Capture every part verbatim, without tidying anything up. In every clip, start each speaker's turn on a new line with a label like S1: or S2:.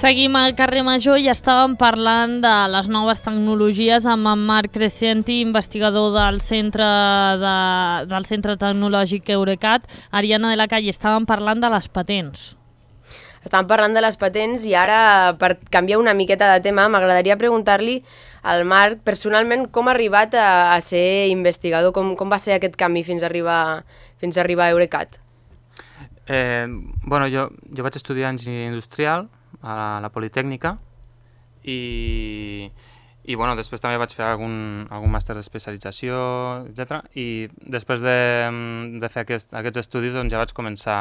S1: Seguim al carrer Major i estàvem parlant de les noves tecnologies amb en Marc Crescenti, investigador del Centre, de, del Centre Tecnològic Eurecat. Ariana de la Calle, estàvem parlant de les patents.
S2: Estàvem parlant de les patents i ara, per canviar una miqueta de tema, m'agradaria preguntar-li al Marc, personalment, com ha arribat a, a ser investigador, com, com va ser aquest camí fins a arribar, fins a, arribar a Eurecat?
S3: Eh, bueno, jo, jo vaig estudiar enginyeria industrial a la, a la Politècnica i, i bueno, després també vaig fer algun, algun màster d'especialització, etcètera. I després de, de fer aquest, aquests estudis doncs, ja vaig començar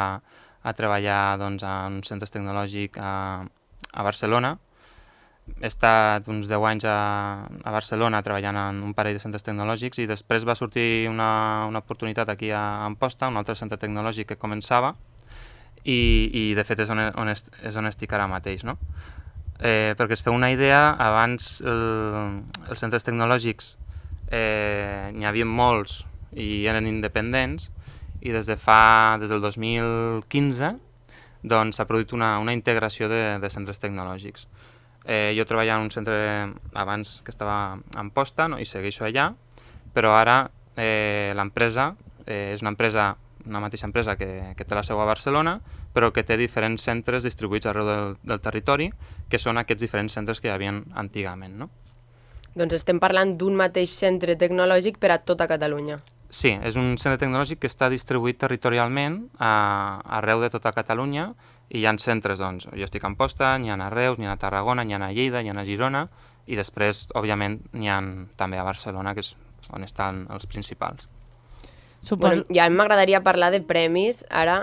S3: a treballar doncs, en un centre tecnològic a, a Barcelona. He estat uns deu anys a, a Barcelona treballant en un parell de centres tecnològics i després va sortir una, una oportunitat aquí a Amposta, un altre centre tecnològic que començava i, i de fet és on, on, est, és on estic ara mateix, no? Eh, perquè es feu una idea, abans el, els centres tecnològics eh, n'hi havia molts i eren independents i des de fa, des del dos mil quinze doncs s'ha produït una, una integració de, de centres tecnològics. Eh, jo treballava en un centre abans que estava a Amposta, no? I segueixo allà, però ara eh, l'empresa eh, és una empresa una mateixa empresa que, que té la seu a Barcelona, però que té diferents centres distribuïts arreu del, del territori, que són aquests diferents centres que hi havia antigament, no?
S2: Doncs estem parlant d'un mateix centre tecnològic per a tota Catalunya.
S3: Sí, és un centre tecnològic que està distribuït territorialment a, arreu de tota Catalunya i hi ha centres, doncs, jo estic a Amposta, n'hi ha a Reus, n'hi ha a Tarragona, n'hi ha a Lleida, n'hi ha a Girona i després, òbviament, n'hi ha també a Barcelona, que és on estan els principals.
S2: Bueno, ja m'agradaria parlar de premis. Ara,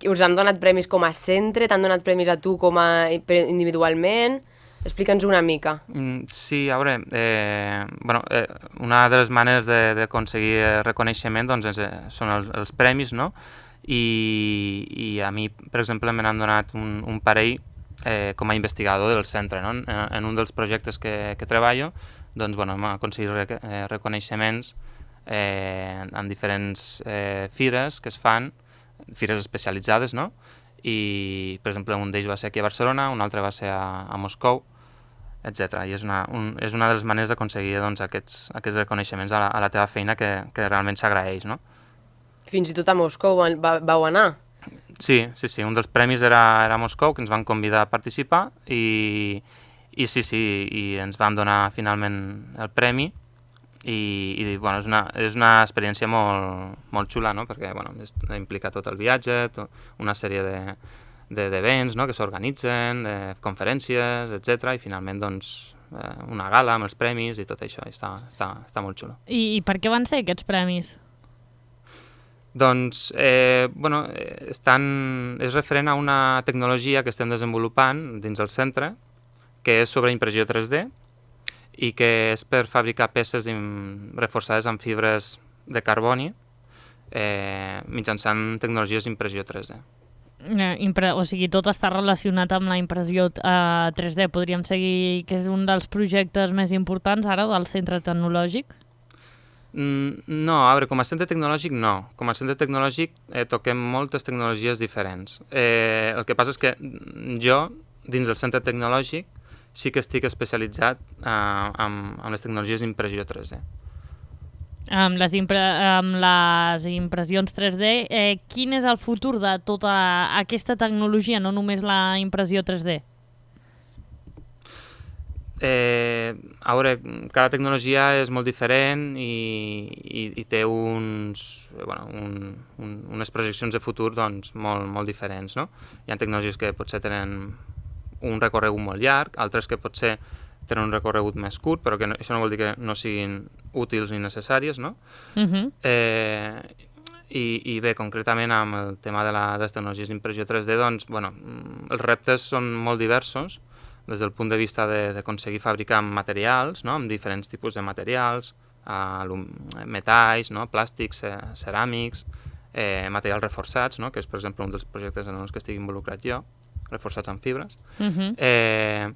S2: us han donat premis com a centre? T'han donat premis a tu com a individualment? Explica'ns una mica.
S3: Mm, sí, a veure, eh, bueno, eh, una de les maneres d'aconseguir reconeixement doncs, és, són els, els premis, no? I, i a mi, per exemple, me n'han donat un, un parell eh, com a investigador del centre, no? En, en un dels projectes que, que treballo, doncs, bueno, hem aconseguit re, eh, reconeixements Eh, en diferents eh, fires que es fan, fires especialitzades, no? I, per exemple, un d'ells va ser aquí a Barcelona, un altre va ser a, a Moscou, etcètera. I és una, un, és una de les maneres d'aconseguir doncs, aquests, aquests reconeixements a la, a la teva feina que, que realment s'agraeix, no?
S2: Fins i tot a Moscou va, vau anar?
S3: Sí, sí, sí. Un dels premis era, era a Moscou, que ens van convidar a participar i, i sí, sí, i ens van donar finalment el premi. I, i bueno, és, una, és una experiència molt, molt xula, no? Perquè bueno, implica tot el viatge, tot, una sèrie d'events, no? Que s'organitzen, eh, conferències, etcètera. I finalment doncs, eh, una gala amb els premis i tot això, i està, està, està molt xulo.
S1: I, I per què van ser aquests premis?
S3: Doncs, eh, bueno, estan, és referent a una tecnologia que estem desenvolupant dins del centre, que és sobre impressió tres D, i que és per fabricar peces reforçades amb fibres de carboni eh, mitjançant tecnologies d'impressió tres D.
S1: Eh, impre o sigui, tot està relacionat amb la impressió eh, tres D. Podríem seguir que és un dels projectes més importants ara del centre tecnològic?
S3: Mm, no, a veure, com a centre tecnològic no. Com a centre tecnològic eh, toquem moltes tecnologies diferents. Eh, el que passa és que jo, dins del centre tecnològic, sí que estic especialitzat eh, amb, amb les tecnologies d'impressió tres D.
S1: Amb les, impre amb les impressions tres D, eh, quin és el futur de tota aquesta tecnologia, no només la impressió tres D?
S3: Eh, a veure, cada tecnologia és molt diferent i, i, i té uns, bueno, un, un, unes projeccions de futur doncs, molt, molt diferents, no? Hi ha tecnologies que potser tenen un recorregut molt llarg, altres que potser tenen un recorregut més curt, però que no, això no vol dir que no siguin útils ni necessàries, no? Uh-huh. eh, i, I bé, concretament amb el tema de, la, de les tecnologies d'impressió tres D, doncs, bueno, els reptes són molt diversos, des del punt de vista d'aconseguir fabricar materials, no? Amb diferents tipus de materials, eh, metalls, no? Plàstics, eh, ceràmics, eh, materials reforçats, no? Que és, per exemple, un dels projectes en els que estic involucrat jo, reforçats amb fibres. Uh-huh. eh,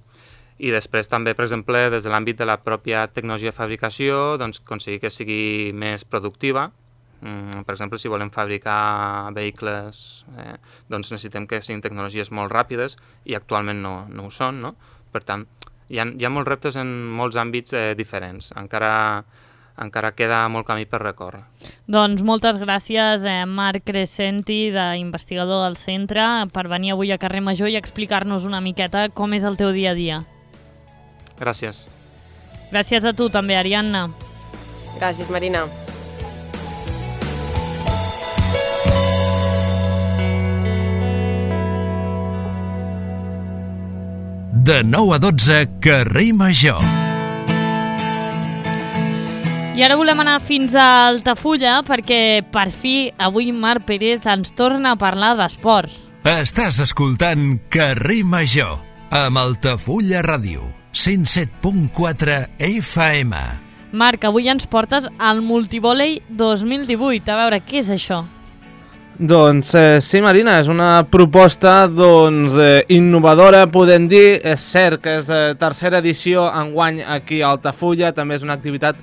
S3: I després també, per exemple, des de l'àmbit de la pròpia tecnologia de fabricació, doncs, aconseguir que sigui més productiva, Mm, per exemple, si volem fabricar vehicles, eh, doncs necessitem que siguin tecnologies molt ràpides i actualment no, no ho són, no? Per tant, hi ha, hi ha molts reptes en molts àmbits eh, diferents. Encara, encara queda molt camí per recórrer.
S1: Doncs moltes gràcies, eh, Marc Crescenti, d'investigador del centre, per venir avui a Carrer Major i explicar-nos una miqueta com és el teu dia a dia.
S3: Gràcies.
S1: Gràcies a tu també, Ariadna.
S2: Gràcies, Marina.
S4: De nou a dotze, Carrer Major.
S1: I ara volem anar fins a Altafulla perquè per fi avui Marc Pérez ens torna a parlar d'esports.
S4: Estàs escoltant Carrer Major amb Altafulla Ràdio, cent set punt quatre F M.
S1: Marc, avui ens portes al Multivòlei dos mil divuit. A veure, què és això?
S5: Doncs eh, sí, Marina, és una proposta doncs, eh, innovadora, podem dir. És cert que és eh, tercera edició enguany aquí a Altafulla, també és una activitat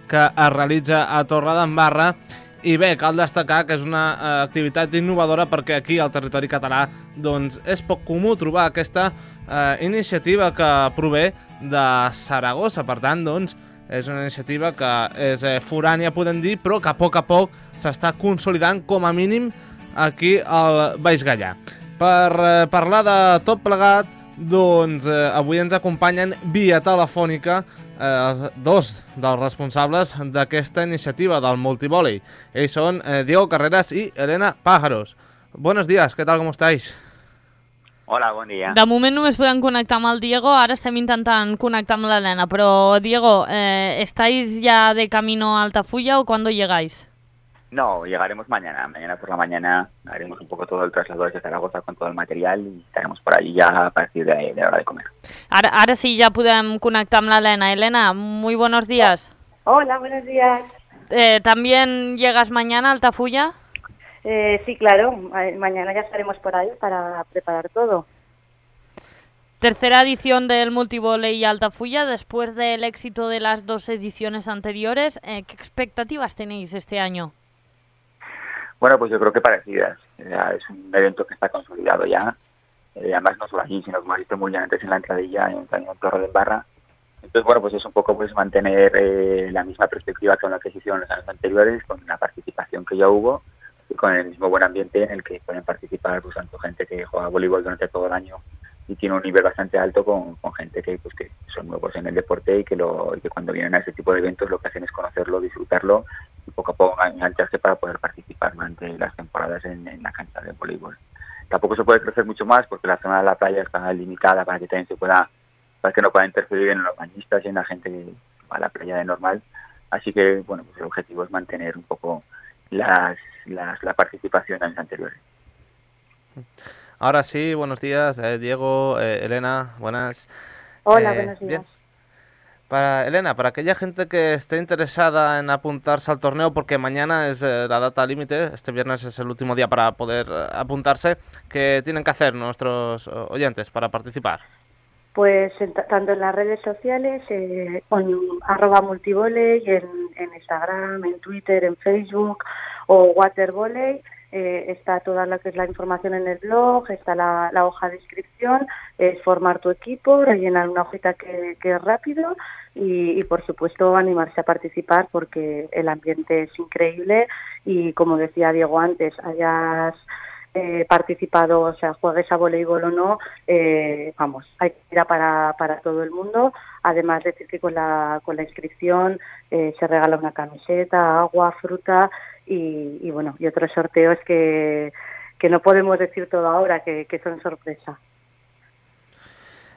S5: que es realitza a Torredembarra. I bé, cal destacar que és una eh, activitat innovadora perquè aquí al territori català doncs, és poc comú trobar aquesta eh, iniciativa que prové de Saragossa. Per tant, doncs, és una iniciativa que és eh, forània, podem dir, però que a poc a poc s'està consolidant com a mínim aquí al Baix Gallà. Per eh, parlar de tot plegat, doncs eh, avui ens acompanyen via telefònica eh, dos dels responsables d'aquesta iniciativa del multivòlei. Ells són eh, Diego Carreras i Elena Pájaros. Buenos días, ¿qué tal? ¿Cómo estáis?
S6: Hola, bon dia.
S1: De moment només podem connectar amb el Diego, ara estem intentant connectar amb l'Helena, però Diego, eh, ¿estáis ya de camino a Altafulla o cuándo llegáis?
S6: No, llegaremos mañana. Mañana por la mañana haremos un poco todo el traslado desde Zaragoza con todo el material y estaremos por ahí ya a partir de, de la hora de comer.
S1: Ara, ara sí, ja podem connectar amb l'Helena. Helena, muy buenos días.
S7: Hola, buenos días.
S1: Eh, ¿También llegas mañana a Altafulla?
S7: Eh, sí, claro, mañana ya estaremos por ahí para preparar todo.
S1: Tercera edición del Multivòlei Altafulla, después del éxito de las dos ediciones anteriores, eh, ¿qué expectativas tenéis este año?
S6: Bueno, pues yo creo que parecidas. Ya es un evento que está consolidado ya. Eh, además no solo aquí, sino como has visto muy bien antes en la entradilla, en, en Torredembarra. Entonces, bueno, pues es un poco pues mantener eh, la misma perspectiva con la que se hicieron los años anteriores, con la participación que ya hubo y con el mismo buen ambiente en el que pueden participar pues tanto gente que juega voleibol durante todo el año y tiene un nivel bastante alto con, con gente que pues que son nuevos en el deporte y que lo y que cuando vienen a este tipo de eventos lo que hacen es conocerlo, disfrutarlo y poco a poco engancharse para poder participar durante las temporadas en, en la cancha de voleibol. Tampoco se puede crecer mucho más porque la zona de la playa está limitada para que también se pueda, para que no pueda interferir en los bañistas y en la gente que va a la playa de normal. Así que bueno, pues el objetivo es mantener un poco las, las la participación en años anteriores.
S5: Ahora sí, buenos días, eh, Diego, eh, Elena, buenas.
S7: Hola,
S5: eh,
S7: buenos días.
S5: Bien. Para Elena, para aquella gente que esté interesada en apuntarse al torneo, porque mañana es eh, la data límite, este viernes es el último día para poder eh, apuntarse, ¿qué tienen que hacer nuestros oyentes para participar?
S7: Pues en, tanto en las redes sociales, eh, con arroba multivóley, en, en Instagram, en Twitter, en Facebook o Watervoley. Eh, está toda lo que es la información en el blog, está la, la hoja de inscripción, es formar tu equipo, rellenar una hojita que, que es rápido y, y por supuesto animarse a participar porque el ambiente es increíble y como decía Diego antes, hayas eh, participado, o sea, juegues a voleibol o no, eh, vamos, hay que ir para, para todo el mundo. Además decir que con la, con la inscripción eh, se regala una camiseta, agua, fruta y, y bueno, y otros sorteos que, que no podemos decir todo ahora, que, que son sorpresa.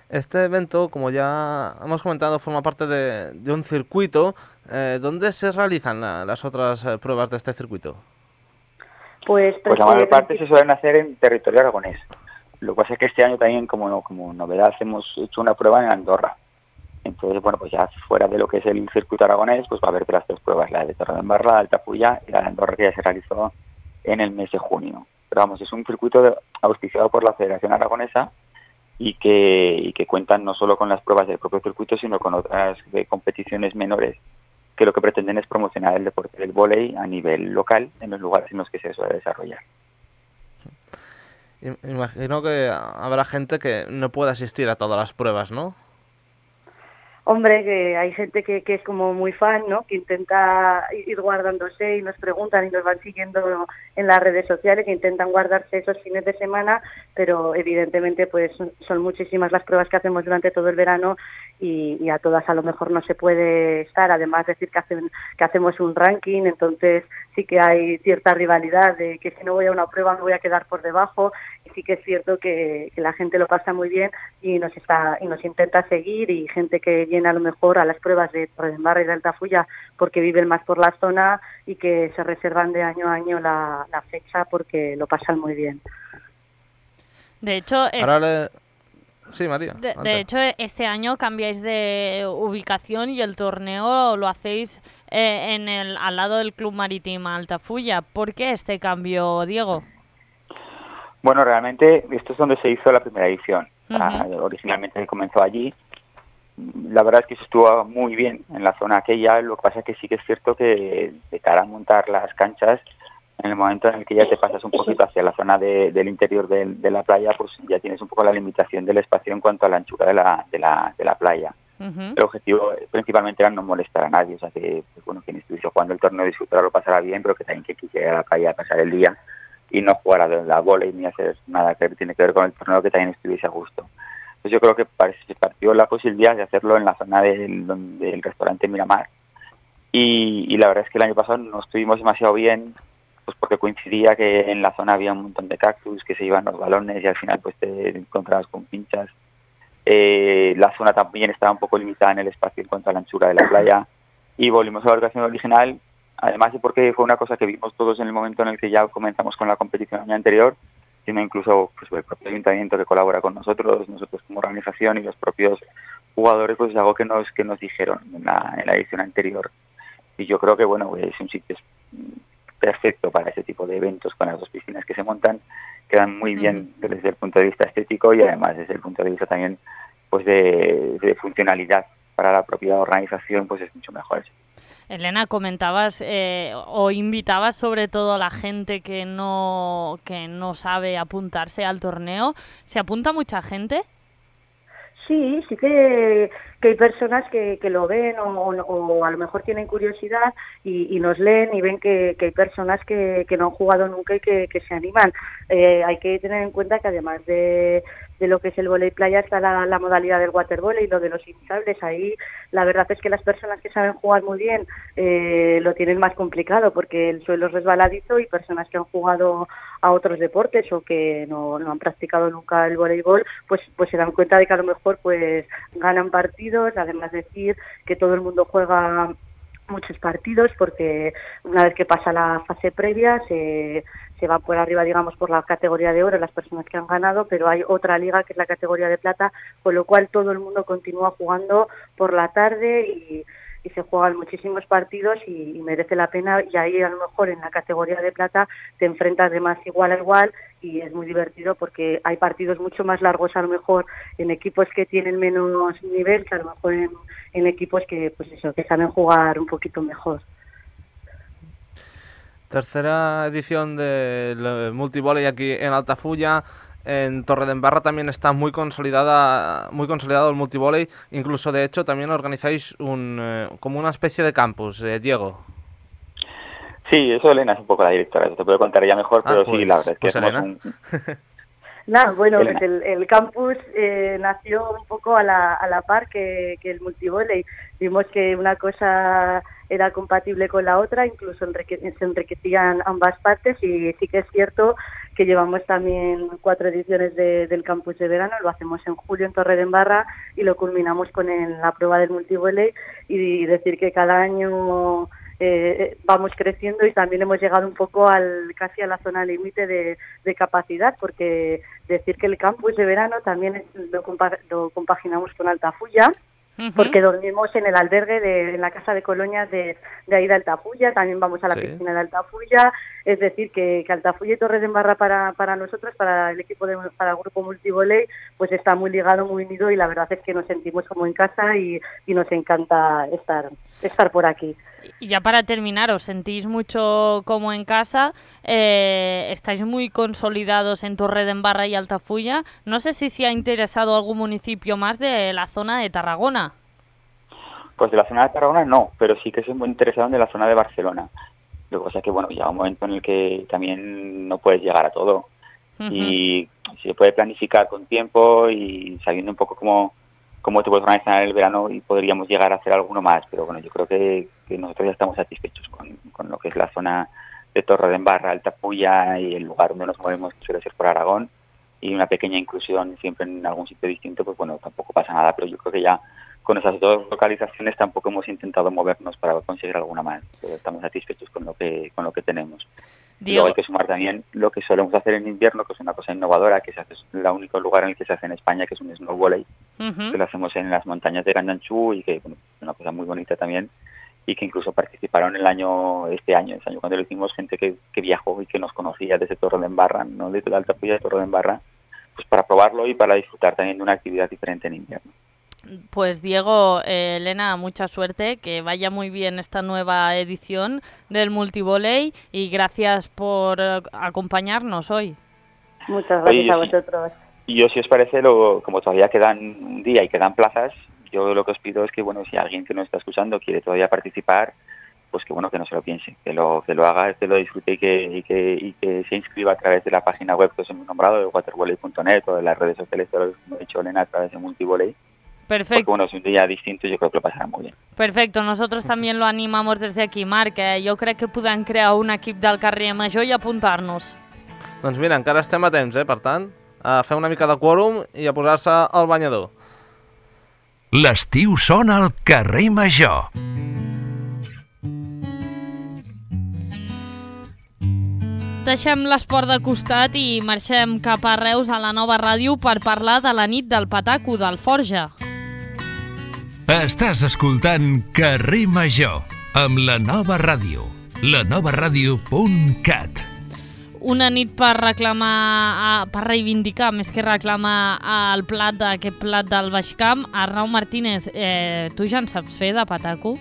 S5: Este evento, como ya hemos comentado, forma parte de, de un circuito. Eh, ¿Dónde se realizan la, las otras eh, pruebas de este circuito?
S7: Pues,
S6: pues la mayor parte se suelen hacer en territorio aragonés. Lo que pasa es que este año también, como, como novedad, hemos hecho una prueba en Andorra. Entonces, bueno, pues ya fuera de lo que es el circuito aragonés, pues va a haber las tres pruebas, la de Torredembarra, la de Altafulla y la de Andorra, que ya se realizó en el mes de junio. Pero vamos, es un circuito de, auspiciado por la Federación Aragonesa y que, y que cuentan no solo con las pruebas del propio circuito, sino con otras de competiciones menores que lo que pretenden es promocionar el deporte del vóley a nivel local en los lugares en los que se suele desarrollar.
S5: Imagino que habrá gente que no pueda asistir a todas las pruebas, ¿no?
S7: Hombre, que hay gente que, que es como muy fan, ¿no? Que intenta ir guardándose y nos preguntan y nos van siguiendo en las redes sociales, que intentan guardarse esos fines de semana, pero evidentemente pues son muchísimas las pruebas que hacemos durante todo el verano y, y a todas a lo mejor no se puede estar. Además decir que, hacen, que hacemos un ranking, entonces sí que hay cierta rivalidad de que si no voy a una prueba me voy a quedar por debajo, y sí que es cierto que, que la gente lo pasa muy bien y nos está y nos intenta seguir, y gente que viene a lo mejor a las pruebas de Torredembarra y de Altafulla porque viven más por la zona y que se reservan de año a año la, la fecha porque lo pasan muy bien.
S1: De hecho, es...
S5: Ahora le... Sí, María.
S1: De, de hecho, este año cambiáis de ubicación y el torneo lo hacéis eh, en el al lado del Club Marítimo Altafulla. ¿Por qué este cambio, Diego?
S6: Bueno, realmente esto es donde se hizo la primera edición.
S1: Uh-huh.
S6: O sea, originalmente comenzó allí. La verdad es que se estuvo muy bien en la zona aquella. Lo que pasa es que sí que es cierto que de cara a montar las canchas, en el momento en el que ya te pasas un poquito hacia la zona de, del interior de, de la playa, pues ya tienes un poco la limitación del espacio en cuanto a la anchura de la, de la, de la playa. Uh-huh. El objetivo principalmente era no molestar a nadie, o sea que, pues, bueno, quien estuviese jugando el torneo disfrutará, lo pasará bien, pero que también que quisiera ir a la playa a pasar el día y no jugar a la vóley ni hacer nada que tiene que ver con el torneo, que también estuviese a gusto. Entonces yo creo que se partió la posibilidad de hacerlo en la zona del, del restaurante Miramar, y, y la verdad es que el año pasado no estuvimos demasiado bien, pues porque coincidía que en la zona había un montón de cactus que se iban los balones y al final pues te encontrabas con pinchas. Eh, la zona también estaba un poco limitada en el espacio en cuanto a la anchura de la playa, y volvimos a la ubicación original, además de porque fue una cosa que vimos todos en el momento en el que ya comenzamos con la competición el año anterior, sino incluso pues, el propio ayuntamiento que colabora con nosotros, nosotros como organización y los propios jugadores, pues es algo que nos que nos dijeron en la, en la edición anterior. Y yo creo que bueno, es un sitio perfecto para ese tipo de eventos, con las dos piscinas que se montan, quedan muy bien desde el punto de vista estético y además desde el punto de vista también pues de, de funcionalidad para la propia organización, pues es mucho mejor.
S1: Elena, comentabas eh, o invitabas sobre todo a la gente que no que no sabe apuntarse al torneo. ¿Se apunta mucha gente?
S7: Sí, sí que, que hay personas que, que lo ven o, o, o a lo mejor tienen curiosidad y, y nos leen y ven que, que hay personas que, que no han jugado nunca y que, que se animan. Eh, hay que tener en cuenta que además de, de lo que es el vóley playa está la, la modalidad del watervóley y lo de los hinchables. Ahí la verdad es que las personas que saben jugar muy bien eh, lo tienen más complicado porque el suelo es resbaladizo, y personas que han jugado a otros deportes o que no, no han practicado nunca el voleibol, pues pues se dan cuenta de que a lo mejor pues ganan partidos. Además decir que todo el mundo juega muchos partidos porque una vez que pasa la fase previa se, se va por arriba, digamos, por la categoría de oro las personas que han ganado, pero hay otra liga que es la categoría de plata, con lo cual todo el mundo continúa jugando por la tarde y y se juegan muchísimos partidos y, y merece la pena, y ahí a lo mejor en la categoría de plata te enfrentas de más igual a igual y es muy divertido porque hay partidos mucho más largos a lo mejor en equipos que tienen menos nivel que a lo mejor en, en equipos que pues eso que saben jugar un poquito mejor.
S5: Tercera edición del multivóley aquí en Altafulla. En Torredembarra también está muy consolidada, muy consolidado el multivóley. Incluso, de hecho, también organizáis un eh, como una especie de campus, eh, Diego.
S6: Sí, eso Elena es un poco la directora, eso te puedo contar ella mejor,
S5: ah,
S6: pero
S5: pues,
S6: sí, la verdad es que
S5: pues
S6: somos
S5: Elena.
S6: un...
S7: Nada, bueno, pues el, el campus eh, nació un poco a la, a la par que, que el multivóley. Vimos que una cosa era compatible con la otra, incluso enrique, se enriquecían ambas partes, y sí que es cierto que llevamos también cuatro ediciones de, del campus de verano. Lo hacemos en julio en Torredembarra y lo culminamos con el, la prueba del multivóley, y decir que cada año Eh, vamos creciendo y también hemos llegado un poco al casi a la zona límite de, de capacidad, porque decir que el campus de verano también es, lo, compa lo compaginamos con Altafulla, uh-huh. porque dormimos en el albergue de en la casa de colonias de, de ahí de Altafulla, también vamos a la sí. piscina de Altafulla, es decir que, que Altafulla y Torredembarra para, para nosotros, para el equipo de, para el grupo multivóley, pues está muy ligado, muy unido, y la verdad es que nos sentimos como en casa y, y nos encanta estar. estar por aquí.
S1: Y ya para terminar, ¿os sentís mucho como en casa? Eh, estáis muy consolidados en Torredembarra y Altafulla. No sé si se ha interesado algún municipio más de la zona de Tarragona.
S6: Pues de la zona de Tarragona no, pero sí que soy muy interesado en la zona de Barcelona. Lo que pasa es que, bueno, llega un momento en el que también no puedes llegar a todo. Uh-huh. Y se puede planificar con tiempo y sabiendo un poco cómo, cómo te puedes organizar en el verano y podríamos llegar a hacer alguno más. Pero bueno, yo creo que, que nosotros ya estamos satisfechos con, con lo que es la zona de Torredembarra, Altafulla y el lugar donde nos movemos, que suele ser por Aragón, y una pequeña inclusión siempre en algún sitio distinto, pues bueno, tampoco pasa nada, pero yo creo que ya con esas dos localizaciones tampoco hemos intentado movernos para conseguir alguna más, pero estamos satisfechos con lo que con lo que tenemos. Y luego hay que sumar también lo que solemos hacer en invierno, que es una cosa innovadora, que se hace, es el único lugar en el que se hace en España, que es un snow volley, uh-huh. que lo hacemos en las montañas de Candanchú y que bueno, es una cosa muy bonita también, y que incluso participaron el año este año, ese año cuando lo hicimos, gente que, que viajó y que nos conocía desde Torredembarra, no desde la Altafulla de Torredembarra, pues para probarlo y para disfrutar también de una actividad diferente en invierno.
S1: Pues Diego, eh, Elena, mucha suerte, que vaya muy bien esta nueva edición del Multivolley y gracias por eh, acompañarnos hoy.
S7: Muchas gracias Oye, a vosotros.
S6: Y yo, si os parece, lo, como todavía quedan un día y quedan plazas, yo lo que os pido es que, bueno, si alguien que nos está escuchando quiere todavía participar, pues que bueno, que no se lo piense, que lo que lo haga, que lo disfrute y que, y que, y que se inscriba a través de la página web que os hemos nombrado, de watervolley punto net, o de las redes sociales, como ha dicho Elena, a través de Multivolley.
S1: Perfecto.
S6: Porque bueno, es un día distinto, yo creo que lo pasarà molt bé.
S1: Perfecte, nosotros también lo animamos desde aquí, Marc, eh? Jo crec que podem crear un equip del carrer Major i apuntar-nos.
S5: Doncs mira, encara estem a temps, eh? Per tant, a fer una mica de quòrum i a posar-se al banyador.
S4: L'estiu sona al carrer Major.
S1: Deixem l'esport de costat i marxem cap a Reus a la nova ràdio per parlar de la nit del Pataco del Forja.
S4: Estàs escoltant Carrer Major amb la nova ràdio, la nova ràdio punt cat.
S1: Una nit per reclamar, per reivindicar, més que reclamar el plat d'aquest plat del Baix Camp. Arnau Martínez, eh, tu ja en saps fer de Pataco?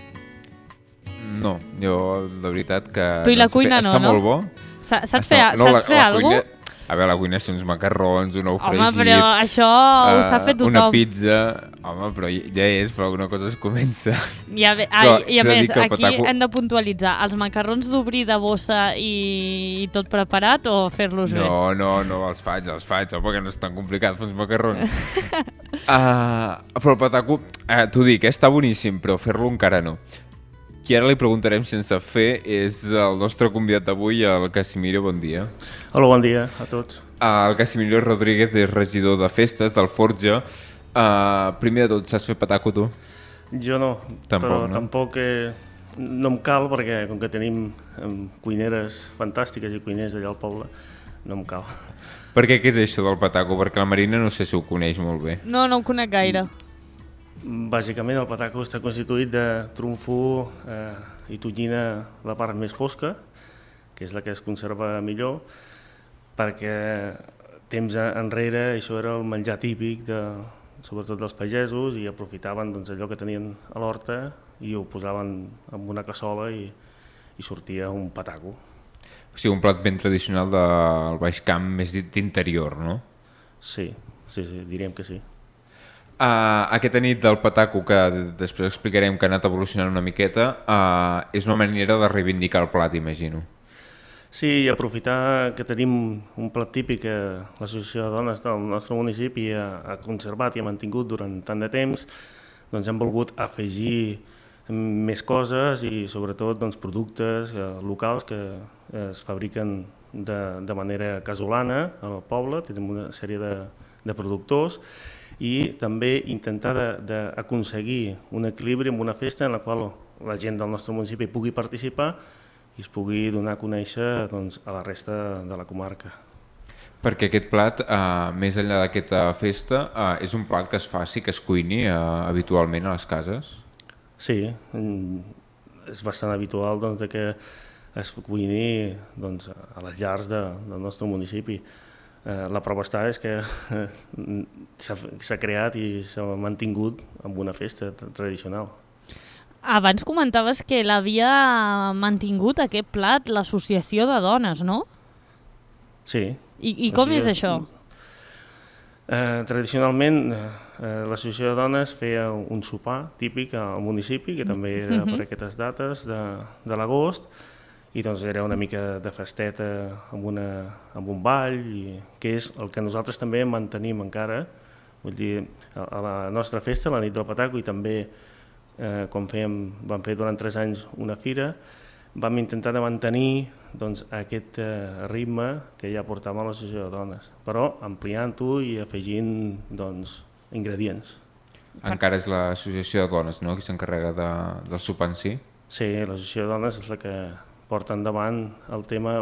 S8: No, jo la veritat que...
S1: Tu i la cuina no, no?
S8: Està molt bo.
S1: Saps fer, no, saps fer alguna cosa?
S8: A veure, la cuina són uns macarrons, un ou fregit...
S1: Home, però això ho sap fer tothom.
S8: Una pizza... Home, però ja és, però alguna cosa es comença.
S1: I a, ai, i a més, aquí pataco... hem de puntualitzar. Els macarrons d'obrir de bossa i, i tot preparat o fer-los
S8: no,
S1: bé?
S8: No, no, no els faig, els faig, home, que no és tan complicat fer uns macarrons. uh, però el pataco, uh, t'ho dic, eh, està boníssim, però fer-lo encara no. Qui ara li preguntarem sense fer és el nostre convidat d'avui, el Casimiro, bon dia.
S9: Hola, bon dia a tots.
S8: El Casimiro Rodríguez és regidor de festes del Forja. Uh, primer de tot, saps fer pataco, tu?
S9: Jo no,
S8: tampoc,
S9: però
S8: no?
S9: tampoc eh, no em cal, perquè com que tenim eh, cuineres fantàstiques i cuiners allà al poble, no em cal.
S8: Per què, què és això del pataco? Perquè la Marina no sé si ho coneix molt bé.
S1: No, no ho conec gaire.
S9: Bàsicament el pataco està constituït de trumfo eh, i tonyina la part més fosca, que és la que es conserva millor, perquè temps enrere això era el menjar típic, de, sobretot dels pagesos, i aprofitaven doncs, allò que tenien a l'horta i ho posaven en una cassola i, i sortia un pataco.
S8: O sigui, un plat ben tradicional del Baix Camp, més dit d'interior, no?
S9: Sí, sí, sí, diríem que sí.
S8: Uh, aquesta nit del pataco, que després explicarem que ha anat evolucionant una miqueta, uh, és una manera de reivindicar el plat, imagino.
S9: Sí, i aprofitar que tenim un plat típic que l'Associació de Dones del nostre municipi ha, ha conservat i ha mantingut durant tant de temps, doncs hem volgut afegir més coses i sobretot doncs, productes eh, locals que es fabriquen de, de manera casolana al poble. Tenim una sèrie de, de productors i també intentar d'aconseguir un equilibri en una festa en la qual la gent del nostre municipi pugui participar i es pugui donar a conèixer doncs, a la resta de la comarca.
S8: Perquè aquest plat, eh, més enllà d'aquesta festa, eh, és un plat que es faci, que es cuini eh, habitualment a les cases?
S9: Sí, és bastant habitual doncs, que es cuini doncs, a les llars de, del nostre municipi. Eh, la prova està és que eh, s'ha creat i s'ha mantingut amb una festa tradicional.
S1: Abans comentaves que l'havia mantingut aquest plat l'associació de dones, no?
S9: Sí.
S1: I, i com és això?
S9: Eh, tradicionalment, eh, l'associació de dones feia un sopar típic al municipi, que també era per aquestes dates de, de l'agost, i doncs era una mica de festeta amb, una, amb un ball, i, que és el que nosaltres també mantenim encara. Vull dir, a, a la nostra festa, la nit del Pataco, i també eh, quan fèiem, vam fer durant tres anys una fira, vam intentar de mantenir doncs, aquest eh, ritme que ja portàvem a l'associació de dones, però ampliant-ho i afegint doncs, ingredients.
S8: Encara és l'associació de dones, no?, qui s'encarrega de, del sopar en si?
S9: Sí, l'associació de dones és la que porta endavant el tema.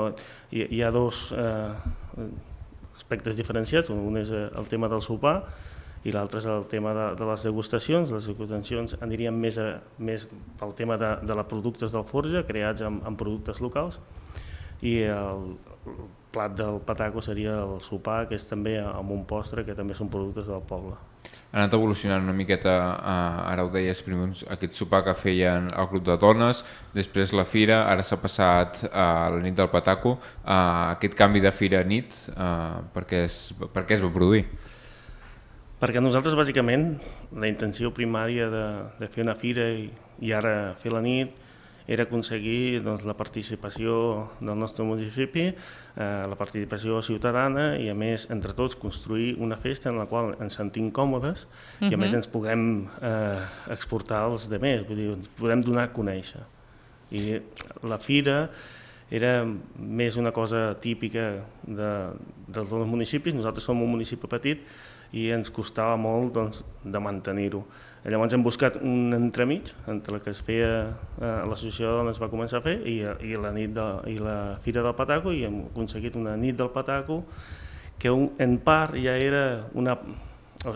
S9: Hi, hi ha dos eh, aspectes diferenciats, un és el tema del sopar i l'altre és el tema de, de les degustacions. Les degustacions anirien més, a, més pel tema de, de les productes del Forja, creats amb, amb productes locals, i el, el plat del Pataco seria el sopar, que és també amb un postre, que també són productes del poble.
S8: Ha anat evolucionant una miqueta, eh, ara ho deies, primer aquest sopar que feien el grup de dones, després la fira, ara s'ha passat a la nit del Pataco. Eh, aquest canvi de fira a nit, eh, per, què es, per què es va produir?
S9: Perquè nosaltres, bàsicament, la intenció primària de, de fer una fira i, i ara fer la nit era aconseguir doncs, la participació del nostre municipi, eh, la participació ciutadana i, a més, entre tots, construir una festa en la qual ens sentim còmodes uh-huh. i, a més, ens puguem eh, exportar als demés, vull dir, ens podem donar a conèixer. I la fira era més una cosa típica de, dels dos municipis. Nosaltres som un municipi petit i ens costava molt doncs, de mantenir-ho. Llavors hem buscat un entremig entre el que es feia eh, l'associació de dones va començar a fer i, i, la nit de, i la Fira del Pataco, i hem aconseguit una nit del Pataco que un, en part ja era, una,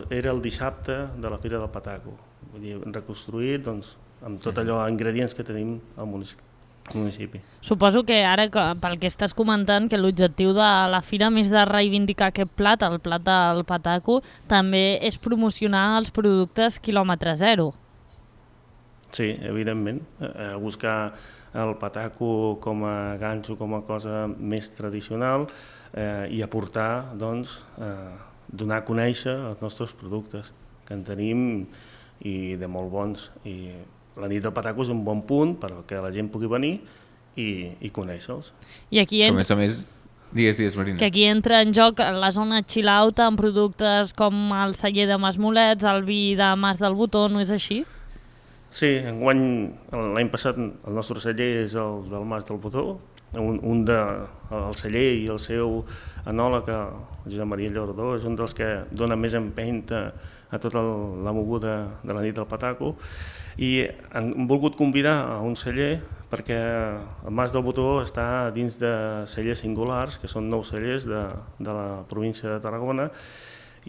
S9: era el dissabte de la Fira del Pataco, vull dir, reconstruït doncs, amb tot allò, ingredients que tenim al municipi. municipi.
S1: Suposo que ara, pel que estàs comentant, que l'objectiu de la fira, més de reivindicar aquest plat, el plat del Pataco, també és promocionar els productes quilòmetre zero.
S9: Sí, evidentment. Eh, buscar el Pataco com a ganxo, com a cosa més tradicional eh, i aportar, doncs, eh, donar a conèixer els nostres productes, que en tenim i de molt bons. I la nit del Pataco és un bon punt perquè la gent pugui venir i, i conèixer-los.
S1: I aquí entra...
S8: A més a més, digues, digues, Marina.
S1: Que aquí entra en joc la zona chill-out amb productes com el celler de Mas Molets, el vi de Mas del Botó, no és així?
S9: Sí, enguany, l'any passat, el nostre celler és el del Mas del Botó, un, un de, el celler i el seu enòleg, el Josep Maria Llaurador, és un dels que dona més empenta a tota la moguda de la nit del Pataco, i han volgut convidar a un celler perquè el Mas del Botó està dins de cellers singulars, que són nou cellers de, de la província de Tarragona,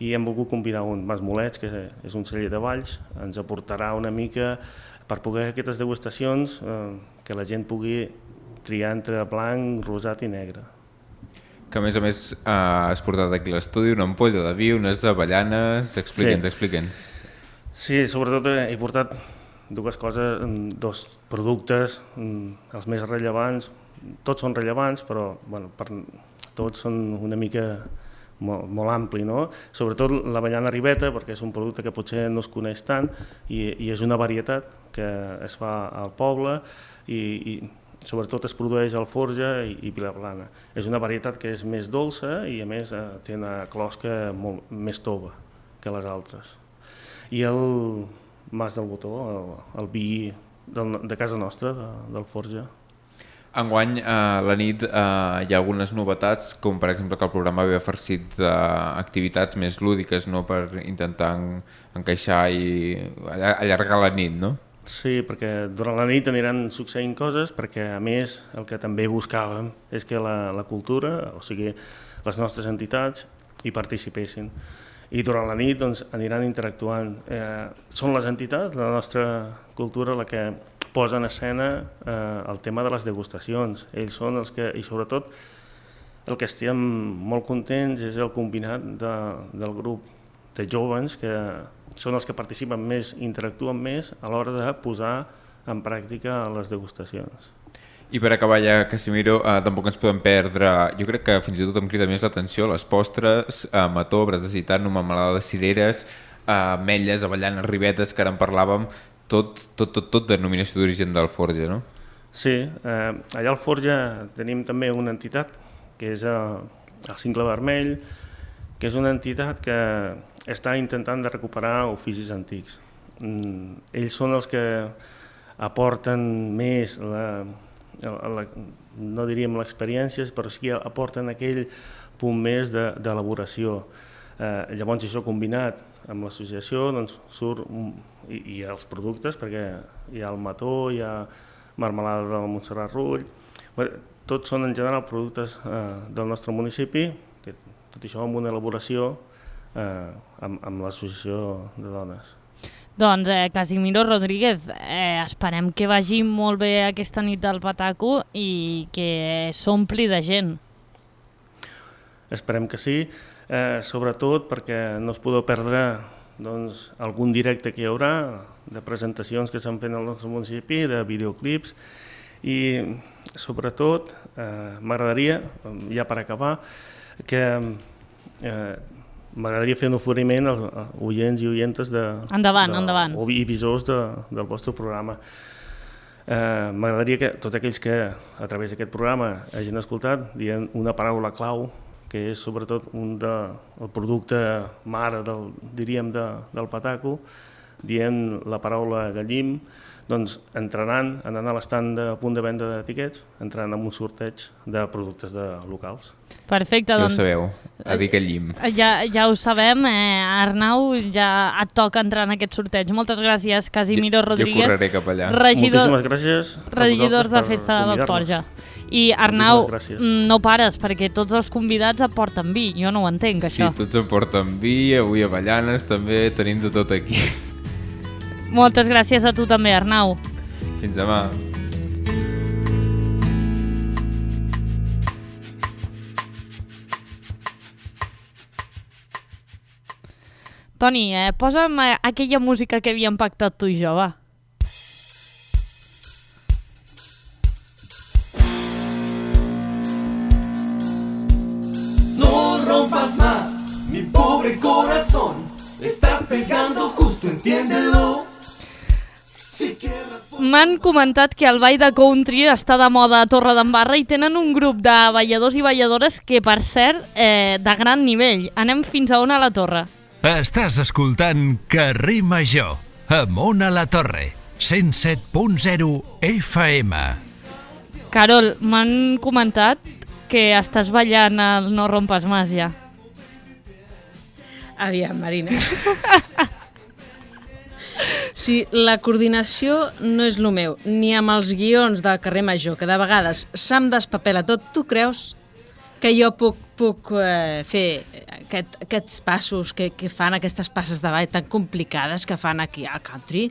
S9: i hem volgut convidar un Mas Molets, que és un celler de Valls, ens aportarà una mica per poder aquestes degustacions, eh, que la gent pugui triar entre blanc, rosat i negre.
S8: Que a més a més eh, has portat aquí a l'estudi una ampolla de vi, unes avellanes, explica'ns, sí. explica'ns.
S9: Sí, sobretot he portat dues coses, dos productes, els més rellevants, tots són rellevants, però bueno, per, tots són una mica molt, molt ampli, no? Sobretot l'avellana ribeta, perquè és un producte que potser no es coneix tant i, i és una varietat que es fa al poble i, i sobretot es produeix al Forja i, i Vilaplana. És una varietat que és més dolça i a més eh, té una closca molt més tova que les altres. I el Mas del Botó, el, el vi del, de casa nostra, de, del Forja.
S8: Enguany, a la nit, eh, hi ha algunes novetats, com per exemple que el programa ve farcit d'activitats més lúdiques, no?, per intentar en, encaixar i allargar la nit, no?
S9: Sí, perquè durant la nit aniran succeint coses, perquè a més el que també buscàvem és que la, la cultura, o sigui, les nostres entitats, hi participessin. I durant la nit doncs, aniran interactuant. Eh, són les entitats, la nostra cultura, la que posa en escena eh, el tema de les degustacions. Ells són els que, i sobretot, el que estem molt contents és el combinat de, del grup de jóvens, que són els que participen més, interactuen més a l'hora de posar en pràctica a les degustacions.
S8: I per acabar ja, Casimiro, eh, tampoc ens podem perdre, jo crec que fins i tot em crida més l'atenció, les postres, eh, mató, bres de gitano, melmelada de cireres, eh, ametlles, avellanes, ribetes, que ara en parlàvem, tot, tot, tot, tot denominació d'origen del Forja, no?
S9: Sí, eh, allà al Forja tenim també una entitat, que és el, el Cingle Vermell, que és una entitat que està intentant de recuperar oficis antics. Mm, ells són els que aporten més la... La, no diríem l'experiència, però sí que aporten aquell punt més d'elaboració. Eh, llavors això combinat amb l'associació doncs, surt un, i, i els productes, perquè hi ha el mató, hi ha marmelada del Montserrat Rull, bé, tots són en general productes eh, del nostre municipi, que tot això amb una elaboració eh, amb, amb l'associació de dones.
S1: Doncs, eh, Casimiro Rodríguez, eh, esperem que vagi molt bé aquesta nit del Pataco i que s'ompli de gent.
S9: Esperem que sí, eh, sobretot perquè no es podeu perdre doncs, algun directe que hi haurà, de presentacions que s'han fet al nostre municipi, de videoclips, i sobretot eh, m'agradaria, ja per acabar, que eh, m'agradaria fer un oferiment als oients i oientes de,
S1: endavant,
S9: de,
S1: endavant.
S9: o i visors de, del vostre programa. Eh, m'agradaria que tots aquells que a través d'aquest programa hagin escoltat dient una paraula clau, que és sobretot un de, el producte mare del, diríem de, del Pataco, dient la paraula gallim, doncs entraran, anant a l'estand de punt de venda de tiquets, entraran en un sorteig de productes de locals.
S1: Perfecte,
S8: ja
S1: doncs...
S8: Ja ho sabeu, a dir que llim.
S1: Ja, ja ho sabem, eh, Arnau, ja et toca entrar en aquest sorteig. Moltes gràcies, Casimiro Rodríguez.
S8: Jo correré cap allà.
S1: Regidor,
S9: moltíssimes gràcies
S1: regidors de Festa del Forja. I Arnau, no pares, perquè tots els convidats aporten vi, jo no ho entenc, això.
S8: Sí, tots aporten vi, avui avellanes, també tenim de tot aquí.
S1: Moltes gràcies a tu també, Arnau.
S8: Fins demà.
S1: Toni, eh, posa'm aquella música que havíem pactat tu i jo, va.
S10: No rompas más, mi pobre corazón, estás pegando justo, entiéndelo.
S1: M'han comentat que el ball de country està de moda a Torredembarra i tenen un grup de balladors i balladores que, per cert, eh, de gran nivell. Anem fins a on a la Torre.
S4: Estàs escoltant Carrer Major, amb Ona la Torre, cent set punt zero F M.
S1: Carol, m'han comentat que estàs ballant el No rompes más, ja.
S11: Aviam, Marina. Sí, la coordinació no és el meu, ni amb els guions del Carrer Major, que de vegades se'm despapela tot. Tu creus que jo puc, puc eh, fer aquest, aquests passos que, que fan, aquestes passes de ball tan complicades que fan aquí al country?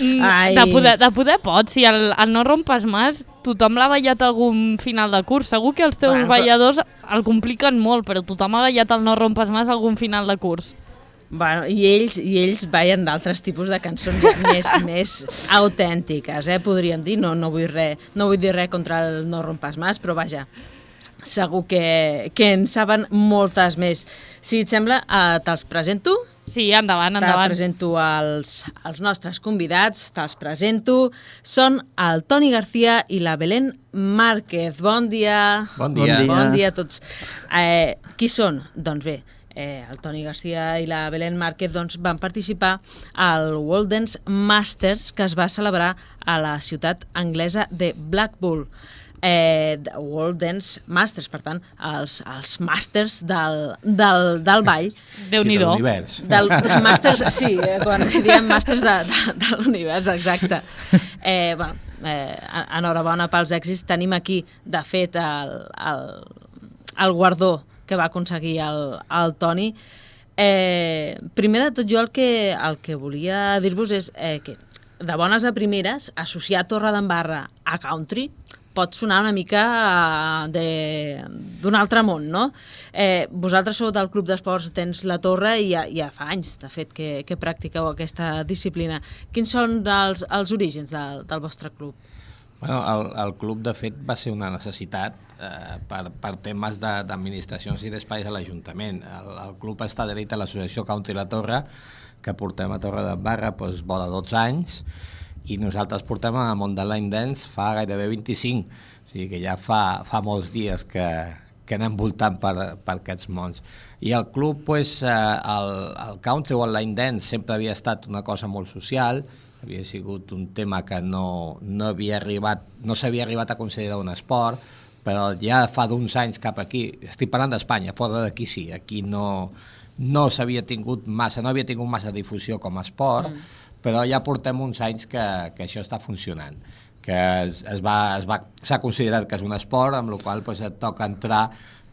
S1: Mm, de, poder, de poder pots, si el, el No rompes más tothom l'ha ballat algun final de curs. Segur que els teus bueno, balladors el compliquen molt, però tothom ha ballat el No rompes más algun final de curs.
S11: Bueno, i ells, i ells ballen d'altres tipus de cançons ja més, més autèntiques, eh, podríem dir. No, no, vull res, no vull dir res contra el No rompes más, però vaja, segur que, que en saben moltes més. Si et sembla, eh, te'ls presento?
S1: Sí, endavant, endavant.
S11: Te presento els, els nostres convidats, te'ls presento. Són el Toni García i la Belén Márquez. Bon dia.
S12: Bon dia.
S11: Bon dia a tots. Eh, qui són? Doncs bé, Eh, el Toni García i la Belén Márquez doncs, van participar al World Dance Masters que es va celebrar a la ciutat anglesa de Blackpool. Eh, World Dance Masters, per tant, els, els màsters del, del, del ball.
S1: Déu-n'hi-do.
S12: Sí, de l'univers.
S11: Del, del màsters, sí, eh, quan diem màsters de, de, de l'univers, exacte. Eh, bueno, eh, enhorabona pels èxits. Tenim aquí, de fet, el, el, el guardó que va aconseguir el, el Toni. Eh, primer de tot, jo el que, el que volia dir-vos és eh, que de bones a primeres, associar Torredembarra a country pot sonar una mica eh, d'un altre món, no? Eh, vosaltres sou del Club d'Esports Tens la Torre i ja, ja fa anys, de fet, que, que practiqueu aquesta disciplina. Quins són els, els orígens del, del vostre club?
S12: Bueno, el, el club, de fet, va ser una necessitat eh, per, per temes d'administracions i d'espais a l'Ajuntament. El, el club està adherit a l'associació Country La Torre, que portem a Torre de Barra doncs, vora dotze anys, i nosaltres portem al món de line dance fa gairebé vint-i-cinc, o sigui que ja fa, fa molts dies que, que anem voltant per, per aquests mons. I el club, pues, eh, el, el country o el line dance sempre havia estat una cosa molt social, havia sigut un tema que no, no havia arribat, no s'havia arribat a considerar un esport, però ja fa d'uns anys cap aquí, estic parlant d'Espanya, fora d'aquí sí, aquí no, no s'havia tingut massa, no havia tingut massa difusió com a esport, mm. però ja portem uns anys que, que això està funcionant, que es, es va, es va, s'ha considerat que és un esport, amb la qual cosa, et toca entrar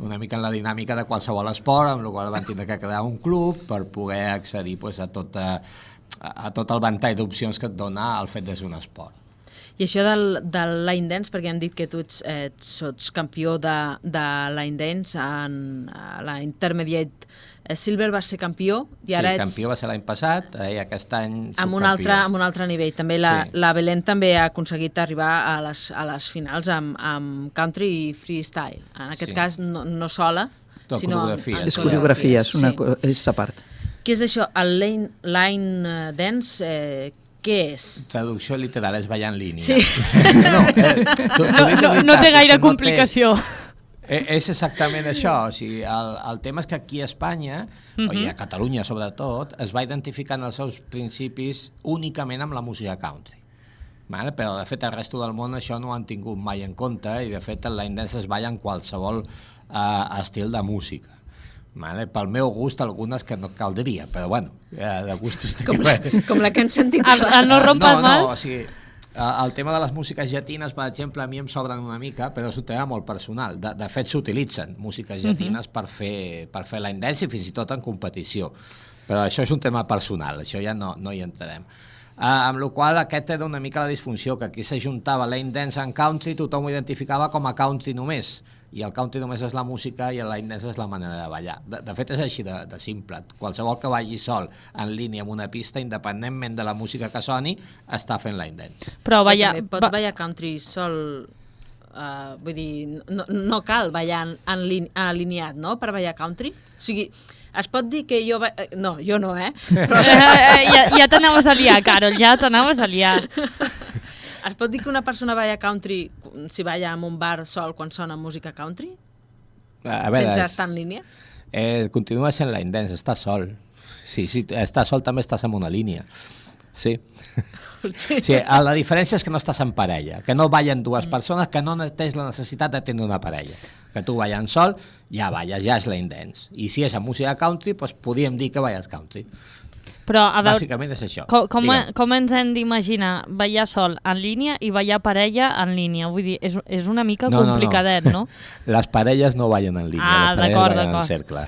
S12: una mica en la dinàmica de qualsevol esport, amb la qual van tindre que crear un club per poder accedir pues, a, tot, a, a tot el ventall d'opcions que et dona el fet de ser un esport.
S11: I això del, del line dance, perquè hem dit que tu ets, ets, ets campió de, de line dance en la Intermediate. Silver va ser campió i ara
S12: sí,
S11: ets...
S12: campió va ser l'any passat i aquest any
S11: amb un, altre, amb un altre nivell. També la, sí. la Belén també ha aconseguit arribar a les, a les finals amb, amb country i freestyle. En aquest sí. cas no, no sola,
S12: Tot
S11: sinó...
S12: coreografia.
S13: És coreografia, és, una, sí. és a part.
S11: Què és això? El line, line dance... Eh, què és?
S12: Traducció literal és ballar en línia.
S11: Sí.
S12: no, eh, tu, tu
S1: no, no, no té gaire complicació. No té...
S12: És exactament això, o sigui, el, el tema és que aquí a Espanya, uh-huh. i a Catalunya sobretot, es va identificant els seus principis únicament amb la música country. Vale? Però de fet el resto del món això no ho han tingut mai en compte i de fet el line dance es balla en qualsevol uh, estil de música. Vale? Pel meu gust, algunes que no caldria, però bueno, de gustos...
S11: Com la, com la que hem sentit.
S1: El, el no rompas
S12: no,
S1: más?
S12: No, o sigui, el tema de les músiques llatines, per exemple, a mi em sobren una mica, però és un tema molt personal. De, de fet, s'utilitzen músiques llatines uh-huh. per fer, per fer line dance i fins i tot en competició. Però això és un tema personal, això ja no, no hi entrarem. Uh, amb la qual cosa aquest era una mica la disfunció, que aquí s'ajuntava line dance en country, tothom ho identificava com a country només, i el country només és la música i el line dance és la manera de ballar. De, de fet, és així de, de simple. Qualsevol que balli sol en línia amb una pista, independentment de la música que soni, està fent line dance.
S11: Però ballar... Pots ballar country sol... Uh, vull dir, no, no cal ballar en, en línia, alineat, no?, per ballar country? O sigui, es pot dir que jo... Va... No, jo no, eh? Però...
S1: ja ja t'anaves a liar, Carol, ja t'anaves a liar.
S11: Es pot dir que una persona balla country si balla en un bar sol quan sona música country?
S12: A veure,
S11: sense
S12: és...
S11: estar en línia?
S12: Eh, continua sent line dance, estàs sol. Sí, sí, estàs sol també estàs en una línia. Sí. Sí, la diferència és que no estàs en parella, que no ballen dues persones, que no tens la necessitat de tenir una parella. Que tu ballant sol, ja balles, ja és line dance. I si és a música country, doncs podríem dir que balles country.
S1: Però, a veure,
S12: bàsicament és això.
S1: Com, com, com ens hem d'imaginar ballar sol en línia i ballar parella en línia? Vull dir, és, és una mica
S12: no,
S1: complicadet, no?
S12: no? Les parelles no ballen en línia,
S1: ah,
S12: les parelles ballen en cercle.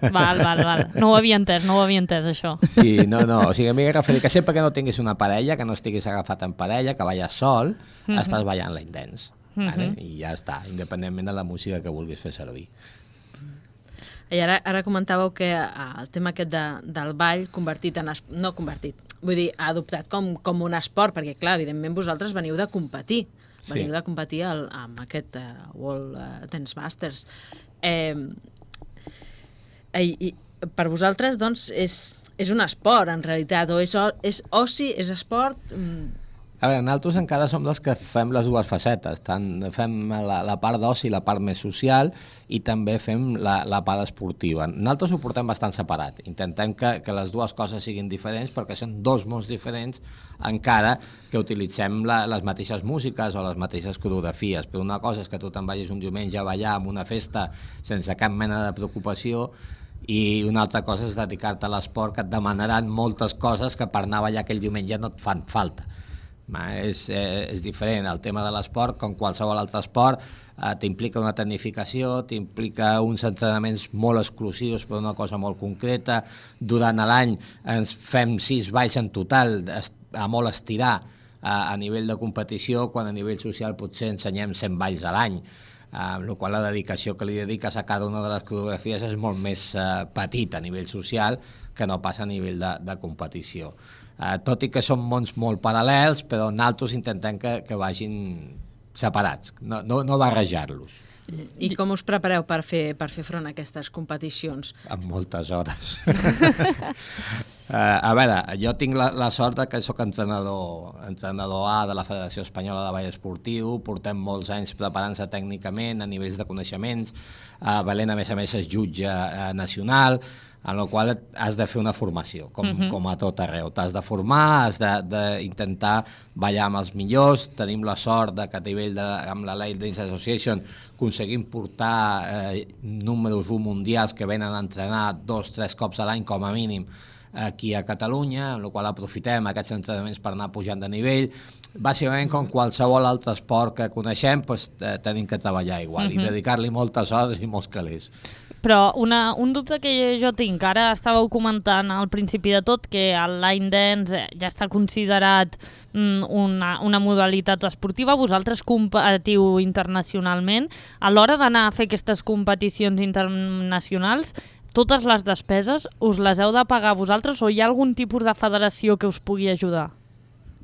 S1: Val, val, val. No ho havia entès, no ho havia entès, això.
S12: Sí, no, no. O sigui, a mi m'he referit que sempre que no tinguis una parella, que no estiguis agafat en parella, que balles sol, mm-hmm. estàs ballant line dance. Mm-hmm. Vale? I ja està, independentment de la música que vulguis fer servir.
S11: I ara, ara comentàveu que el tema aquest de, del ball convertit en... Es, no convertit, vull dir, adoptat com, com un esport, perquè, clar, evidentment vosaltres veniu de competir. Veniu sí. de competir al, amb aquest uh, World uh, Dance Masters. Eh, i, i, per vosaltres, doncs, és, és un esport, en realitat, o és, és oci, és esport... Mm.
S12: A veure, nosaltres encara som dels que fem les dues facetes, tant fem la, la part d'oci, la part més social, i també fem la, la part esportiva. Nosaltres ho portem bastant separat, intentem que, que les dues coses siguin diferents, perquè són dos mons diferents, encara que utilitzem la, les mateixes músiques o les mateixes coreografies. Però una cosa és que tu te'n vagis un diumenge a ballar en una festa sense cap mena de preocupació, i una altra cosa és dedicar-te a l'esport, que et demanaran moltes coses que per anar a ballar aquell diumenge no et fan falta. És, eh, és diferent. El tema de l'esport, com qualsevol altre esport, eh, t'implica una tecnificació, t'implica uns entrenaments molt exclusius per una cosa molt concreta. Durant l'any ens fem sis balls en total, a molt estirar, a, a nivell de competició, quan a nivell social potser ensenyem cent balls a l'any, amb la qual la dedicació que li dediques a cada una de les coreografies és molt més uh, petita a nivell social que no passa a nivell de, de competició. Uh, tot i que són mons molt paral·lels, però nosaltres intentem que, que vagin separats, no, no, no barrejar-los.
S11: I com us prepareu per fer, per fer front a aquestes competicions?
S12: Amb moltes hores. uh, a veure, jo tinc la, la sort que soc entrenador, entrenador A de la Federació Espanyola de Ball Esportiu, portem molts anys preparant-se tècnicament a nivells de coneixements, uh, Belén a més a més és jutge uh, nacional, en la qual has de fer una formació, com, uh-huh. com a tot arreu. T'has de formar, has d'intentar ballar amb els millors. Tenim la sort de que a nivell de, amb la Line Dance Association aconseguim portar eh, números un mundials que venen a entrenar dos, tres cops a l'any com a mínim aquí a Catalunya, amb la qual aprofitem aquests entrenaments per anar pujant de nivell. Bàsicament, com qualsevol altre esport que coneixem, doncs, eh, tenim que treballar igual uh-huh. i dedicar-li moltes hores i molts calés.
S1: Però una, un dubte que jo tinc, ara estàveu comentant al principi de tot que el line dance ja està considerat mm, una, una modalitat esportiva, vosaltres competiu internacionalment, a l'hora d'anar a fer aquestes competicions internacionals, totes les despeses us les heu de pagar vosaltres o hi ha algun tipus de federació que us pugui ajudar?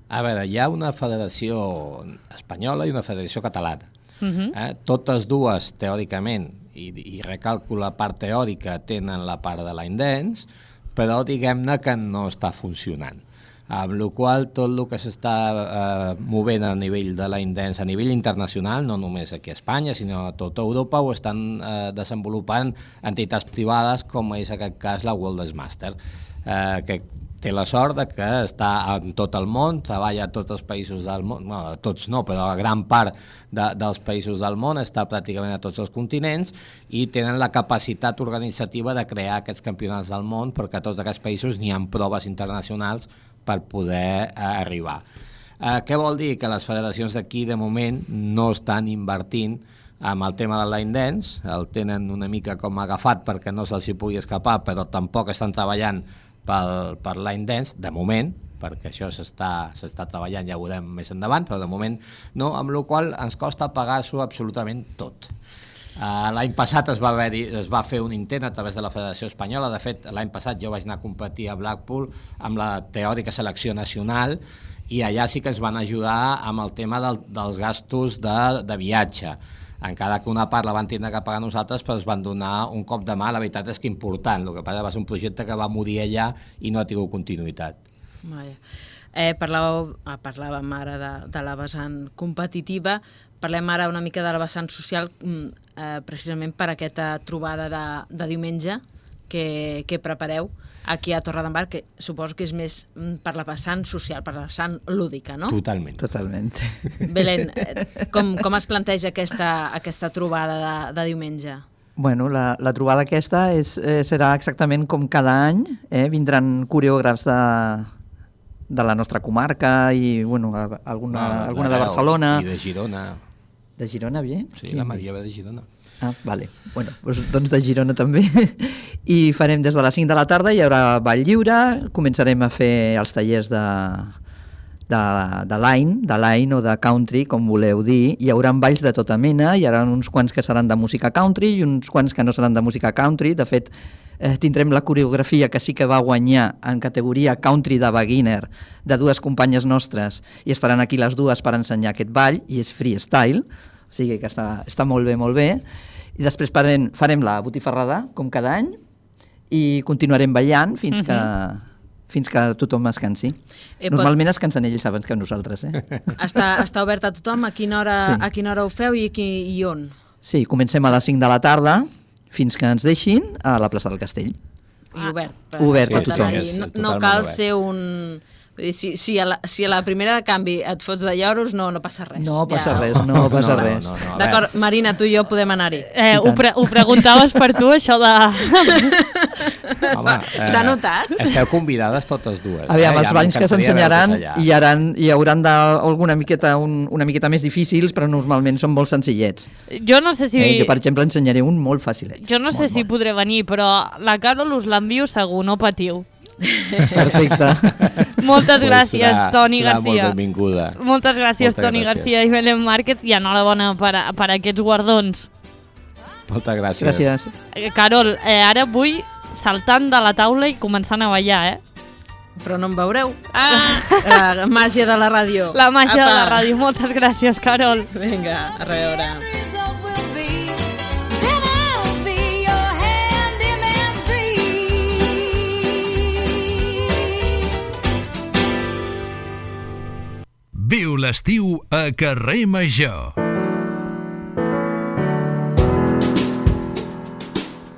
S12: A veure, hi ha una federació espanyola i una federació catalana. Uh-huh. eh? Totes dues, teòricament, i, i recalco la part teòrica, tenen la part de line dance, però diguem-ne que no està funcionant. Amb la qual tot el que s'està eh, movent a nivell de line dance, a nivell internacional, no només aquí a Espanya, sinó a tota Europa, ho estan eh, desenvolupant entitats privades, com és en aquest cas la World Dance Master, eh, que té la sort de que està en tot el món, treballa a tots els països del món, no, tots no, però a gran part de, dels països del món, està pràcticament a tots els continents i tenen la capacitat organitzativa de crear aquests campionats del món perquè a tots aquests països n'hi ha proves internacionals per poder eh, arribar. Eh, què vol dir? Que les federacions d'aquí de moment no estan invertint amb el tema del line dance, el tenen una mica com agafat perquè no se'ls hi pugui escapar, però tampoc estan treballant pel, per line dance, de moment, perquè això s'està s'està treballant, ja ho veurem més endavant, però de moment no, amb la qual ens costa pagar-s'ho absolutament tot. Uh, l'any passat es va, haver, es va fer un intent a través de la Federació Espanyola, de fet l'any passat jo vaig anar a competir a Blackpool amb la teòrica selecció nacional i allà sí que ens van ajudar amb el tema del, dels gastos de, de viatge. Encara que una part la van tindre que pagar nosaltres, però ens van donar un cop de mà, la veritat és que important. El que passa va ser un projecte que va morir allà i no ha tingut continuïtat.
S11: Vaja. Eh, parlàveu, ah, parlàvem ara de, de la vessant competitiva, parlem ara una mica de la vessant social, eh, precisament per aquesta trobada de, de diumenge que, que prepareu aquí a Torredembarra, que suposo que és més per la vessant social, per la vessant lúdica, no?
S12: Totalment.
S13: Totalment.
S11: Belén, com, com es planteja aquesta, aquesta trobada de, de diumenge?
S13: Bueno, la, la trobada aquesta és, eh, serà exactament com cada any, eh? Vindran coreògrafs de, de la nostra comarca i bueno, alguna, no, alguna de Barcelona.
S12: I de Girona.
S13: De Girona, bé?
S12: Sí, Quin? La Maria ve de Girona.
S13: Ah, vale. Bueno, doncs, doncs de Girona també. I farem des de les cinc de la tarda, hi haurà ball lliure, començarem a fer els tallers de, de, de line, de line o de country, com voleu dir. Hi haurà balls de tota mena, hi haurà uns quants que seran de música country i uns quants que no seran de música country. De fet, eh, tindrem la coreografia que sí que va guanyar en categoria country de beginner de dues companyes nostres i estaran aquí les dues per ensenyar aquest ball i és freestyle, o sigui que està, està molt bé, molt bé. I després farem, farem la botifarrada, com cada any, i continuarem ballant fins que, uh-huh. fins que tothom es cansi. Eh, Normalment pot... es cansen ells abans que nosaltres. Eh?
S11: Està, està obert a tothom? A quina hora, sí. a quina hora ho feu i, aquí, i on?
S13: Sí, comencem a les cinc de la tarda fins que ens deixin a la plaça del Castell.
S11: I obert. Per,
S13: obert per tothom.
S11: No, no cal ser un... Si, si, a la, si a la primera de canvi et fots de lloros, no, no passa res.
S13: No passa ja. res, no passa no, res. No, no, no.
S11: D'acord, Marina, tu i jo podem anar-hi.
S1: Eh, ho, pre ho preguntaves per tu, això de...
S12: Home, eh,
S11: s'ha notat?
S12: Esteu convidades totes dues.
S13: Aviam,
S12: eh?
S13: els ja banys que s'ensenyaran hi, hi hauran de, alguna miqueta, un, una miqueta més difícils, però normalment són molt senzillets.
S1: Jo no sé si...
S13: Eh, jo, per exemple, ensenyaré un molt fàcilet.
S1: Jo no sé molt, si molt. podré venir, però la Carol us l'envio segur, no patiu.
S13: Perfecte.
S1: Moltes
S12: pues
S1: gràcies,
S12: serà,
S1: Toni
S12: serà
S1: Garcia.
S12: molt benvinguda.
S1: Moltes gràcies,
S12: Moltes
S1: Toni
S12: gràcies.
S1: Garcia i Belén Márquez, i enhorabona per, a- per aquests guardons.
S12: Moltes gràcies.
S13: Gràcies.
S1: Eh, Carol, eh, ara vull saltant de la taula i començant a ballar, eh?
S11: Però no em veureu. Ah! La màgia de la ràdio.
S1: La màgia
S11: Apa.
S1: de la ràdio. Moltes gràcies, Carol.
S11: Vinga, a veure.
S4: Viu l'estiu a Carrer Major.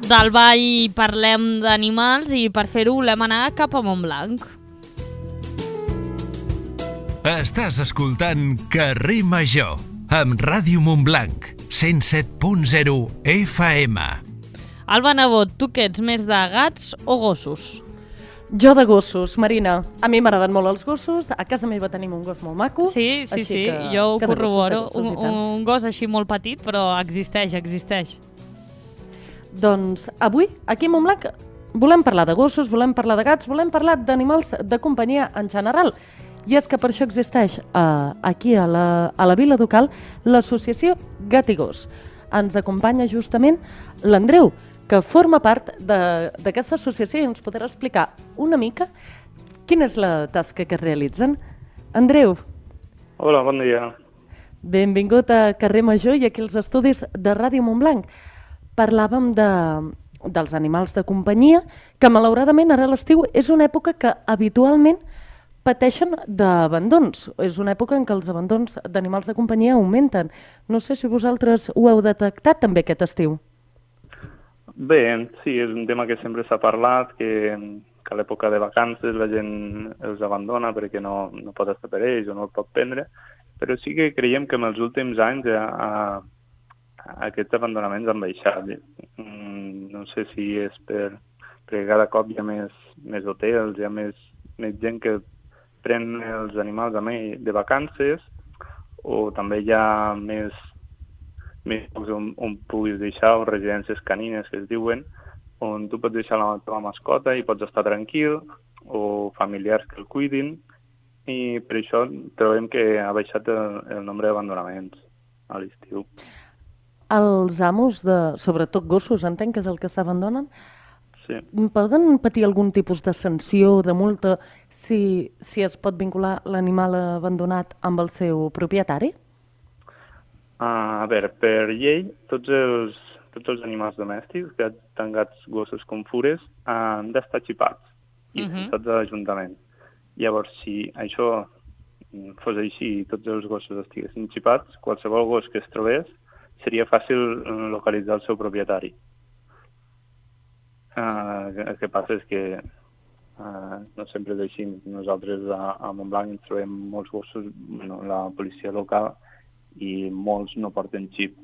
S1: Del ball parlem d'animals i per fer-ho volem anar cap a Montblanc.
S4: Estàs escoltant Carrer Major amb Ràdio Montblanc, cent set punt zero F M.
S1: Alba Nebot, tu què ets, més de gats o gossos?
S14: Jo de gossos, Marina. A mi m'agraden molt els gossos. A casa meva tenim un gos molt maco.
S1: Sí, sí,
S14: així
S1: sí,
S14: que,
S1: jo ho
S14: que de gossos, de
S1: corroboro.
S14: gossos,
S1: Un,
S14: i tant.
S1: un gos així molt petit, però existeix, existeix.
S14: Doncs avui, aquí a Montblanc, volem parlar de gossos, volem parlar de gats, volem parlar d'animals de companyia en general. I és que per això existeix uh, aquí a la, a la Vila Ducal l'associació Gat i Gos. Ens acompanya justament l'Andreu, que forma part de- d'aquesta associació i ens podrà explicar una mica quina és la tasca que realitzen. Andreu,
S15: Hola, bon dia.
S14: benvingut a Carrer Major i aquí als estudis de Ràdio Montblanc. Parlàvem de, dels animals de companyia, que malauradament ara a l'estiu és una època que habitualment pateixen d'abandons. És una època en què els abandons d'animals de companyia augmenten. No sé si vosaltres ho heu detectat també aquest estiu.
S15: Bé, sí, és un tema que sempre s'ha parlat, que, que a l'època de vacances la gent els abandona perquè no, no pot estar per ells o no el pot prendre, però sí que creiem que en els últims anys a, a, aquests abandonaments han baixat. Mm, no sé si és per, perquè cada cop hi ha més, més hotels, hi ha més, més gent que pren els animals amb ell de vacances, o també hi ha més més llocs on, on puguis deixar, o residències canines que es diuen, on tu pots deixar la teva mascota i pots estar tranquil, o familiars que el cuidin, i per això trobem que ha baixat el, el nombre d'abandonaments a l'estiu.
S14: Els amos, de, sobretot gossos, entenc que és el que s'abandonen,
S15: Sí.
S14: poden patir algun tipus de sanció, de multa, si, si es pot vincular l'animal abandonat amb el seu propietari?
S15: Uh, a veure, per llei, tots els, tots els animals domèstics, gats, tant gats, gossos com fures, han d'estar xipats i
S16: Mhm.
S15: censats a l'Ajuntament. Llavors, si això fos així i tots els gossos estiguessin xipats, qualsevol gos que es trobés seria fàcil eh, localitzar el seu propietari. Uh, el que passa és que uh, no sempre és així. Nosaltres a, a Montblanc ens trobem molts gossos, bueno, la policia local, i molts no porten xip.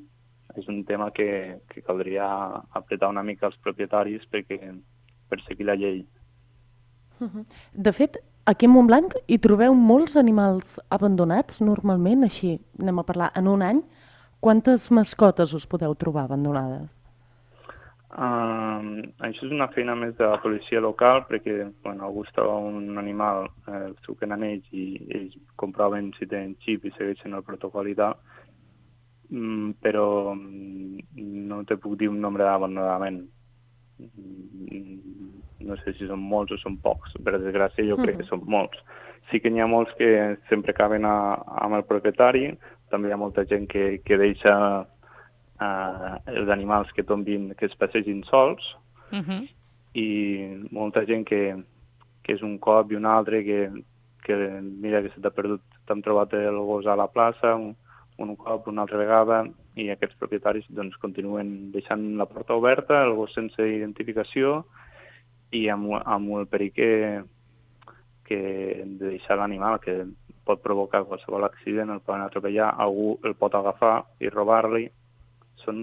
S15: És un tema que, que caldria apretar una mica als propietaris perquè per seguir la llei.
S14: Mhm. De fet, aquí a Montblanc hi trobeu molts animals abandonats, normalment, així, anem a parlar, en un any. Quantes mascotes us podeu trobar abandonades?
S15: Uh, això és una feina més de la policia local perquè bueno, algú es troba un animal, eh, els truquen a ells i ells comproven si tenen xip i segueixen el protocol i tal, mm, però mm, no te puc dir un nombre d'abandonament. Mm, no sé si són molts o són pocs, per desgràcia jo crec que són molts. Sí que n'hi ha molts que sempre acaben a, amb el propietari, també hi ha molta gent que, que deixa Uh, els animals que tombin, que es passegin sols,
S1: Uh-huh.
S15: i molta gent que, que és un cop i un altre que, que mira que se t'ha perdut, t'han trobat el gos a la plaça un, un cop, una altra vegada, i aquests propietaris doncs, continuen deixant la porta oberta, el gos sense identificació i amb, amb el perill que, que de deixar l'animal, que pot provocar qualsevol accident, el poden atropellar, algú el pot agafar i robar-li. Són,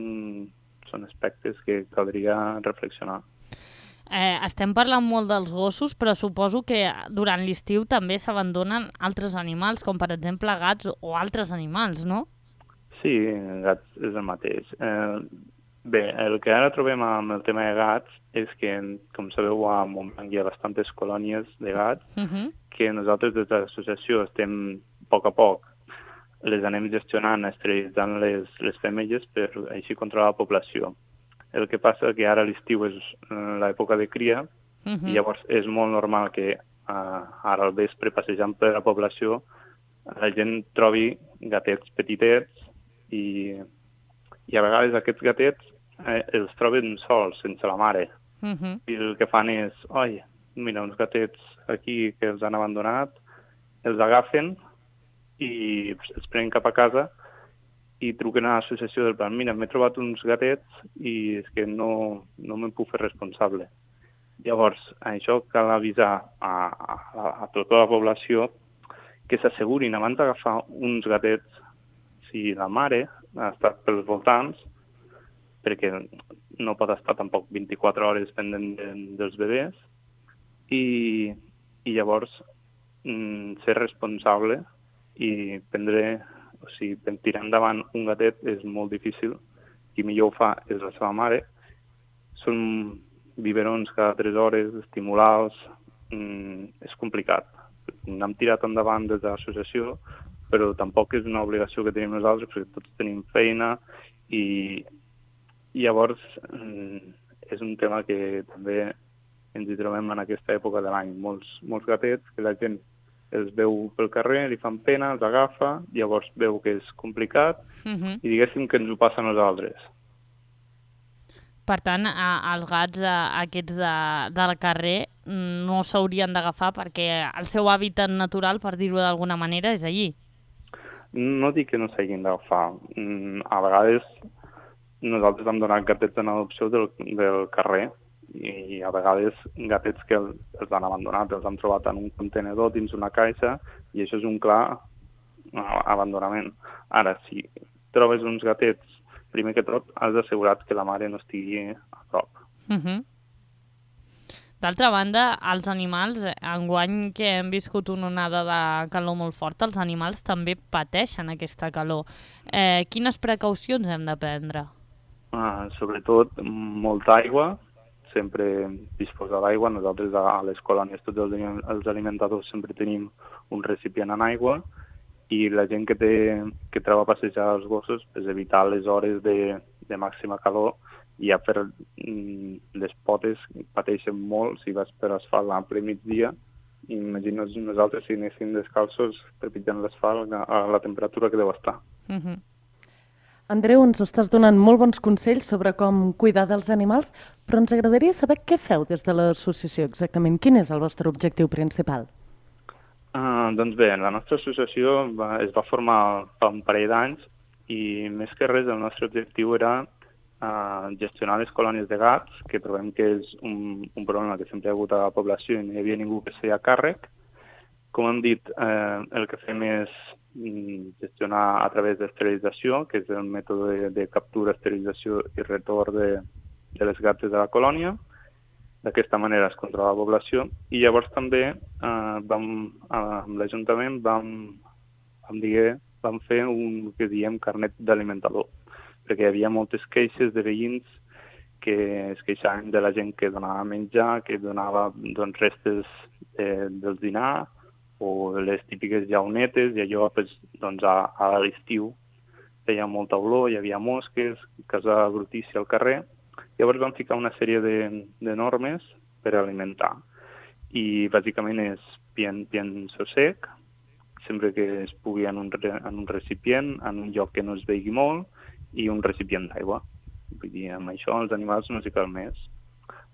S15: són aspectes que caldria reflexionar.
S1: Eh, estem parlant molt dels gossos, però suposo que durant l'estiu també s'abandonen altres animals, com per exemple gats o altres animals, no?
S15: Sí, gats és el mateix. Eh, Bé, el que ara trobem amb el tema de gats és que, com sabeu, a Montblanc hi ha bastantes colònies de gats
S1: Uh -huh.
S15: que nosaltres des de l'associació estem a poc a poc les anem gestionant, esterilitzant les, les femelles per així controlar la població. El que passa que ara l'estiu és l'època de cria
S1: Uh -huh.
S15: i llavors és molt normal que uh, ara al vespre, passejant per la població, la gent trobi gatets petitets i, i a vegades aquests gatets eh, els troben sols, sense la mare.
S1: Uh -huh.
S15: I el que fan és, oi, mira, uns gatets aquí que els han abandonat, els agafen i els prenen cap a casa i truquen a l'associació del plan, mira, m'he trobat uns gatets i és que no, no me'n puc fer responsable. Llavors, això cal avisar a, a, a tota la població que s'assegurin abans d'agafar uns gatets si la mare ha estat pels voltants, perquè no pot estar tampoc vint-i-quatre hores pendent de, dels bebès, i, i llavors mm, ser responsable i prendre, o sigui, tirar endavant un gatet és molt difícil, qui millor ho fa és la seva mare. Són biberons cada tres hores, estimulals, mm, és complicat. N'hem tirat endavant des de l'associació, però tampoc és una obligació que tenim nosaltres, perquè tots tenim feina i, i llavors mm, és un tema que també ens hi trobem en aquesta època de l'any. Molts, molts gatets que la gent els veu pel carrer, li fan pena, els agafa, llavors veu que és complicat
S1: Uh -huh.
S15: i diguéssim que ens ho passa a nosaltres.
S1: Per tant, a, els gats a, aquests de, del carrer no s'haurien d'agafar perquè el seu hàbitat natural, per dir-ho d'alguna manera, és allí.
S15: No dic que no s'hagin d'agafar. A vegades nosaltres hem donat gatets en adopció del, del carrer i a vegades gatets que els, els han abandonat, els han trobat en un contenedor dins una caixa i això és un clar abandonament. Ara, si trobes uns gatets, primer que tot has d'assegurar que la mare no estigui a prop.
S1: Uh -huh. D'altra banda, els animals, enguany que hem viscut una onada de calor molt forta, els animals també pateixen aquesta calor. Eh, quines precaucions hem de prendre?
S15: Uh, sobretot, molta aigua, sempre disposar d'aigua. Nosaltres a les colònies, tots els, els alimentadors, sempre tenim un recipient en aigua i la gent que, té, que troba a passejar els gossos, és evitar les hores de, de màxima calor i ja per mm, les potes pateixen molt si vas per asfalt a ple migdia. Imagina't nosaltres si anéssim descalços trepitjant l'asfalt a la temperatura que deu estar.
S1: Uh -huh.
S14: Andreu, ens estàs donant molt bons consells sobre com cuidar dels animals, però ens agradaria saber què feu des de l'associació exactament. Quin és el vostre objectiu principal?
S15: Uh, doncs bé, la nostra associació va, es va formar fa un parell d'anys i més que res el nostre objectiu era uh, gestionar les colònies de gats, que trobem que és un, un problema que sempre hi ha hagut a la població i no hi havia ningú que es feia càrrec. Com hem dit, eh, el que fem és gestionar a través d'esterilització, que és el mètode de, de captura, esterilització i retorn de, de les gates de la colònia. D'aquesta manera es controla la població. I llavors també eh, vam, eh, amb l'Ajuntament vam, vam, dir, vam fer un que diem carnet d'alimentador, perquè hi havia moltes queixes de veïns que es queixaven de la gent que donava menjar, que donava doncs, restes de, del dinar, o les típiques llaunetes, i allò pues, doncs, a, a l'estiu feia molta olor, hi havia mosques, casa brutícia al carrer. Llavors vam ficar una sèrie de, de normes per alimentar. I bàsicament és pienso sec, sempre que es pugui en un, en un recipient, en un lloc que no es vegi molt, i un recipient d'aigua. Vull dir, amb això els animals no s'hi cal més.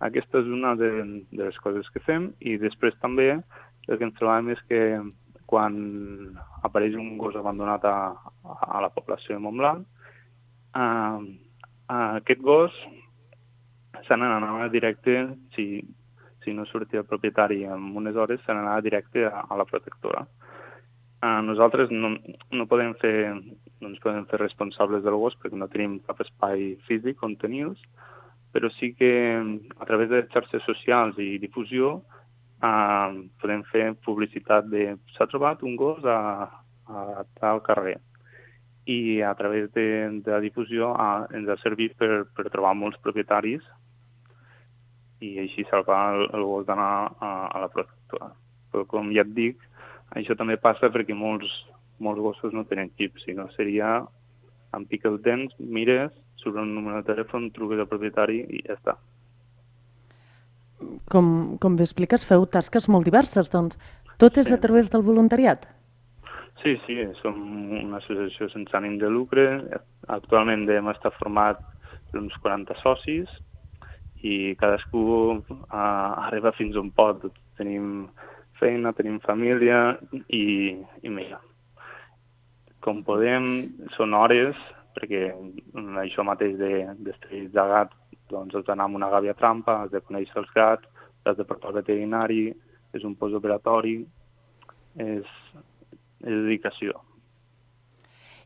S15: Aquesta és una de, de les coses que fem, i després també el que ens trobem és que quan apareix un gos abandonat a, a la població de Montblanc, eh, aquest gos se n'anava directe, si, si no sortia el propietari en unes hores, se n'anava directe a, a la protectora. Eh, nosaltres no, no, podem fer, no ens podem fer responsables del gos perquè no tenim cap espai físic on tenir-los, però sí que a través de xarxes socials i difusió Uh, podem fer publicitat de s'ha trobat un gos a, a tal carrer i a través de, de la difusió ha, ens ha servit per, per trobar molts propietaris i així salvar el, el gos d'anar a, a la protectora. Però com ja et dic, això també passa perquè molts, molts gossos no tenen xip, sinó seria em pica els dents, mires, surt un número de telèfon, truques al propietari i ja està.
S14: Com, com bé expliques, feu tasques molt diverses, doncs. Tot és
S15: Sí.
S14: a través del voluntariat?
S15: Sí, sí, som una associació sense ànim de lucre. Actualment hem estat format per uns quaranta socis i cadascú uh, arriba fins on pot. Tenim feina, tenim família i, i mira, com podem, són hores, perquè això mateix d'estrells de, de gat, doncs has d'anar amb una gàbia trampa, has de conèixer els gats, has de portar al veterinari, és un postoperatori, és, és dedicació.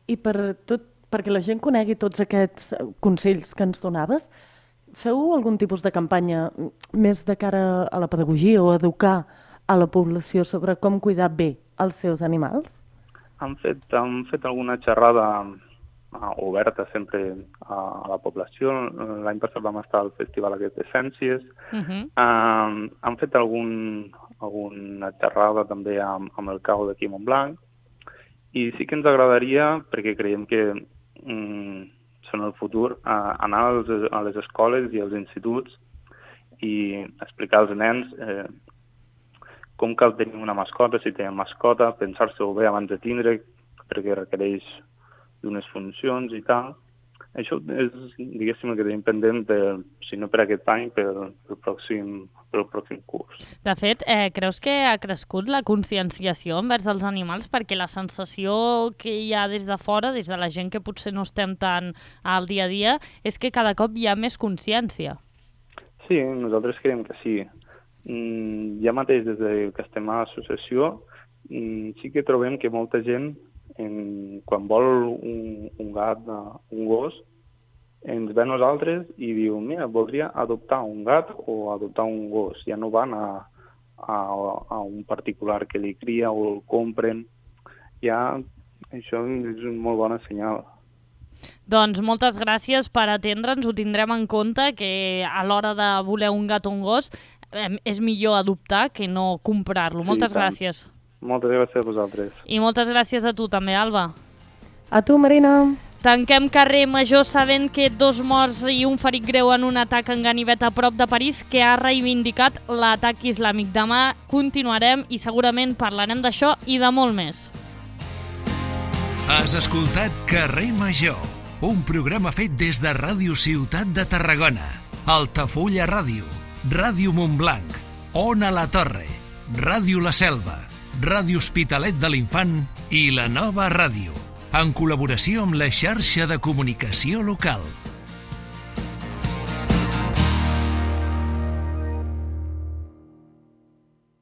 S14: I per tot, perquè la gent conegui tots aquests consells que ens donaves, feu algun tipus de campanya més de cara a la pedagogia o a educar a la població sobre com cuidar bé els seus animals?
S15: Han fet, han fet alguna xerrada uh, oberta sempre a, a la població. L'any passat vam estar al festival aquest de Ciències.
S1: Uh-huh.
S15: Uh, han fet algun, alguna xerrada també amb, amb el C A U d'aquí a Montblanc. I sí que ens agradaria, perquè creiem que um, són el futur, uh, anar als, a les escoles i als instituts i explicar als nens eh, com cal tenir una mascota, si tenen mascota, pensar-se-ho bé abans de tindre, perquè requereix d'unes funcions i tal. Això és, diguéssim, el que tenim pendent, de, si no per aquest any, pel, pel, pròxim, pel pròxim curs.
S1: De fet, eh, creus que ha crescut la conscienciació envers els animals? Perquè la sensació que hi ha des de fora, des de la gent que potser no estem tan al dia a dia, és que cada cop hi ha més consciència. Sí, nosaltres creiem que sí. Mm, ja mateix des de que estem a l'associació mm, sí que trobem que molta gent en, quan vol un, un gat, un gos, ens ve a nosaltres i diu, mira, voldria adoptar un gat o adoptar un gos. Ja no van a, a, a un particular que li cria o el compren. Ja això és un molt bon senyal. Doncs moltes gràcies per atendre'ns, ho tindrem en compte, que a l'hora de voler un gat o un gos eh, és millor adoptar que no comprar-lo. Sí, moltes gràcies. Moltes gràcies a vosaltres. I moltes gràcies a tu també, Alba.
S14: A tu, Marina.
S1: Tanquem carrer Major sabent que dos morts i un ferit greu en un atac en ganivet a prop de París que ha reivindicat l'atac islàmic. Demà continuarem i segurament parlarem d'això i de molt més.
S4: Has escoltat Carrer Major, un programa fet des de Ràdio Ciutat de Tarragona, Altafulla Ràdio, Ràdio Montblanc, Ona la Torre, Ràdio La Selva, Ràdio Hospitalet de l'Infant i La Nova Ràdio, en col·laboració amb la xarxa de comunicació local.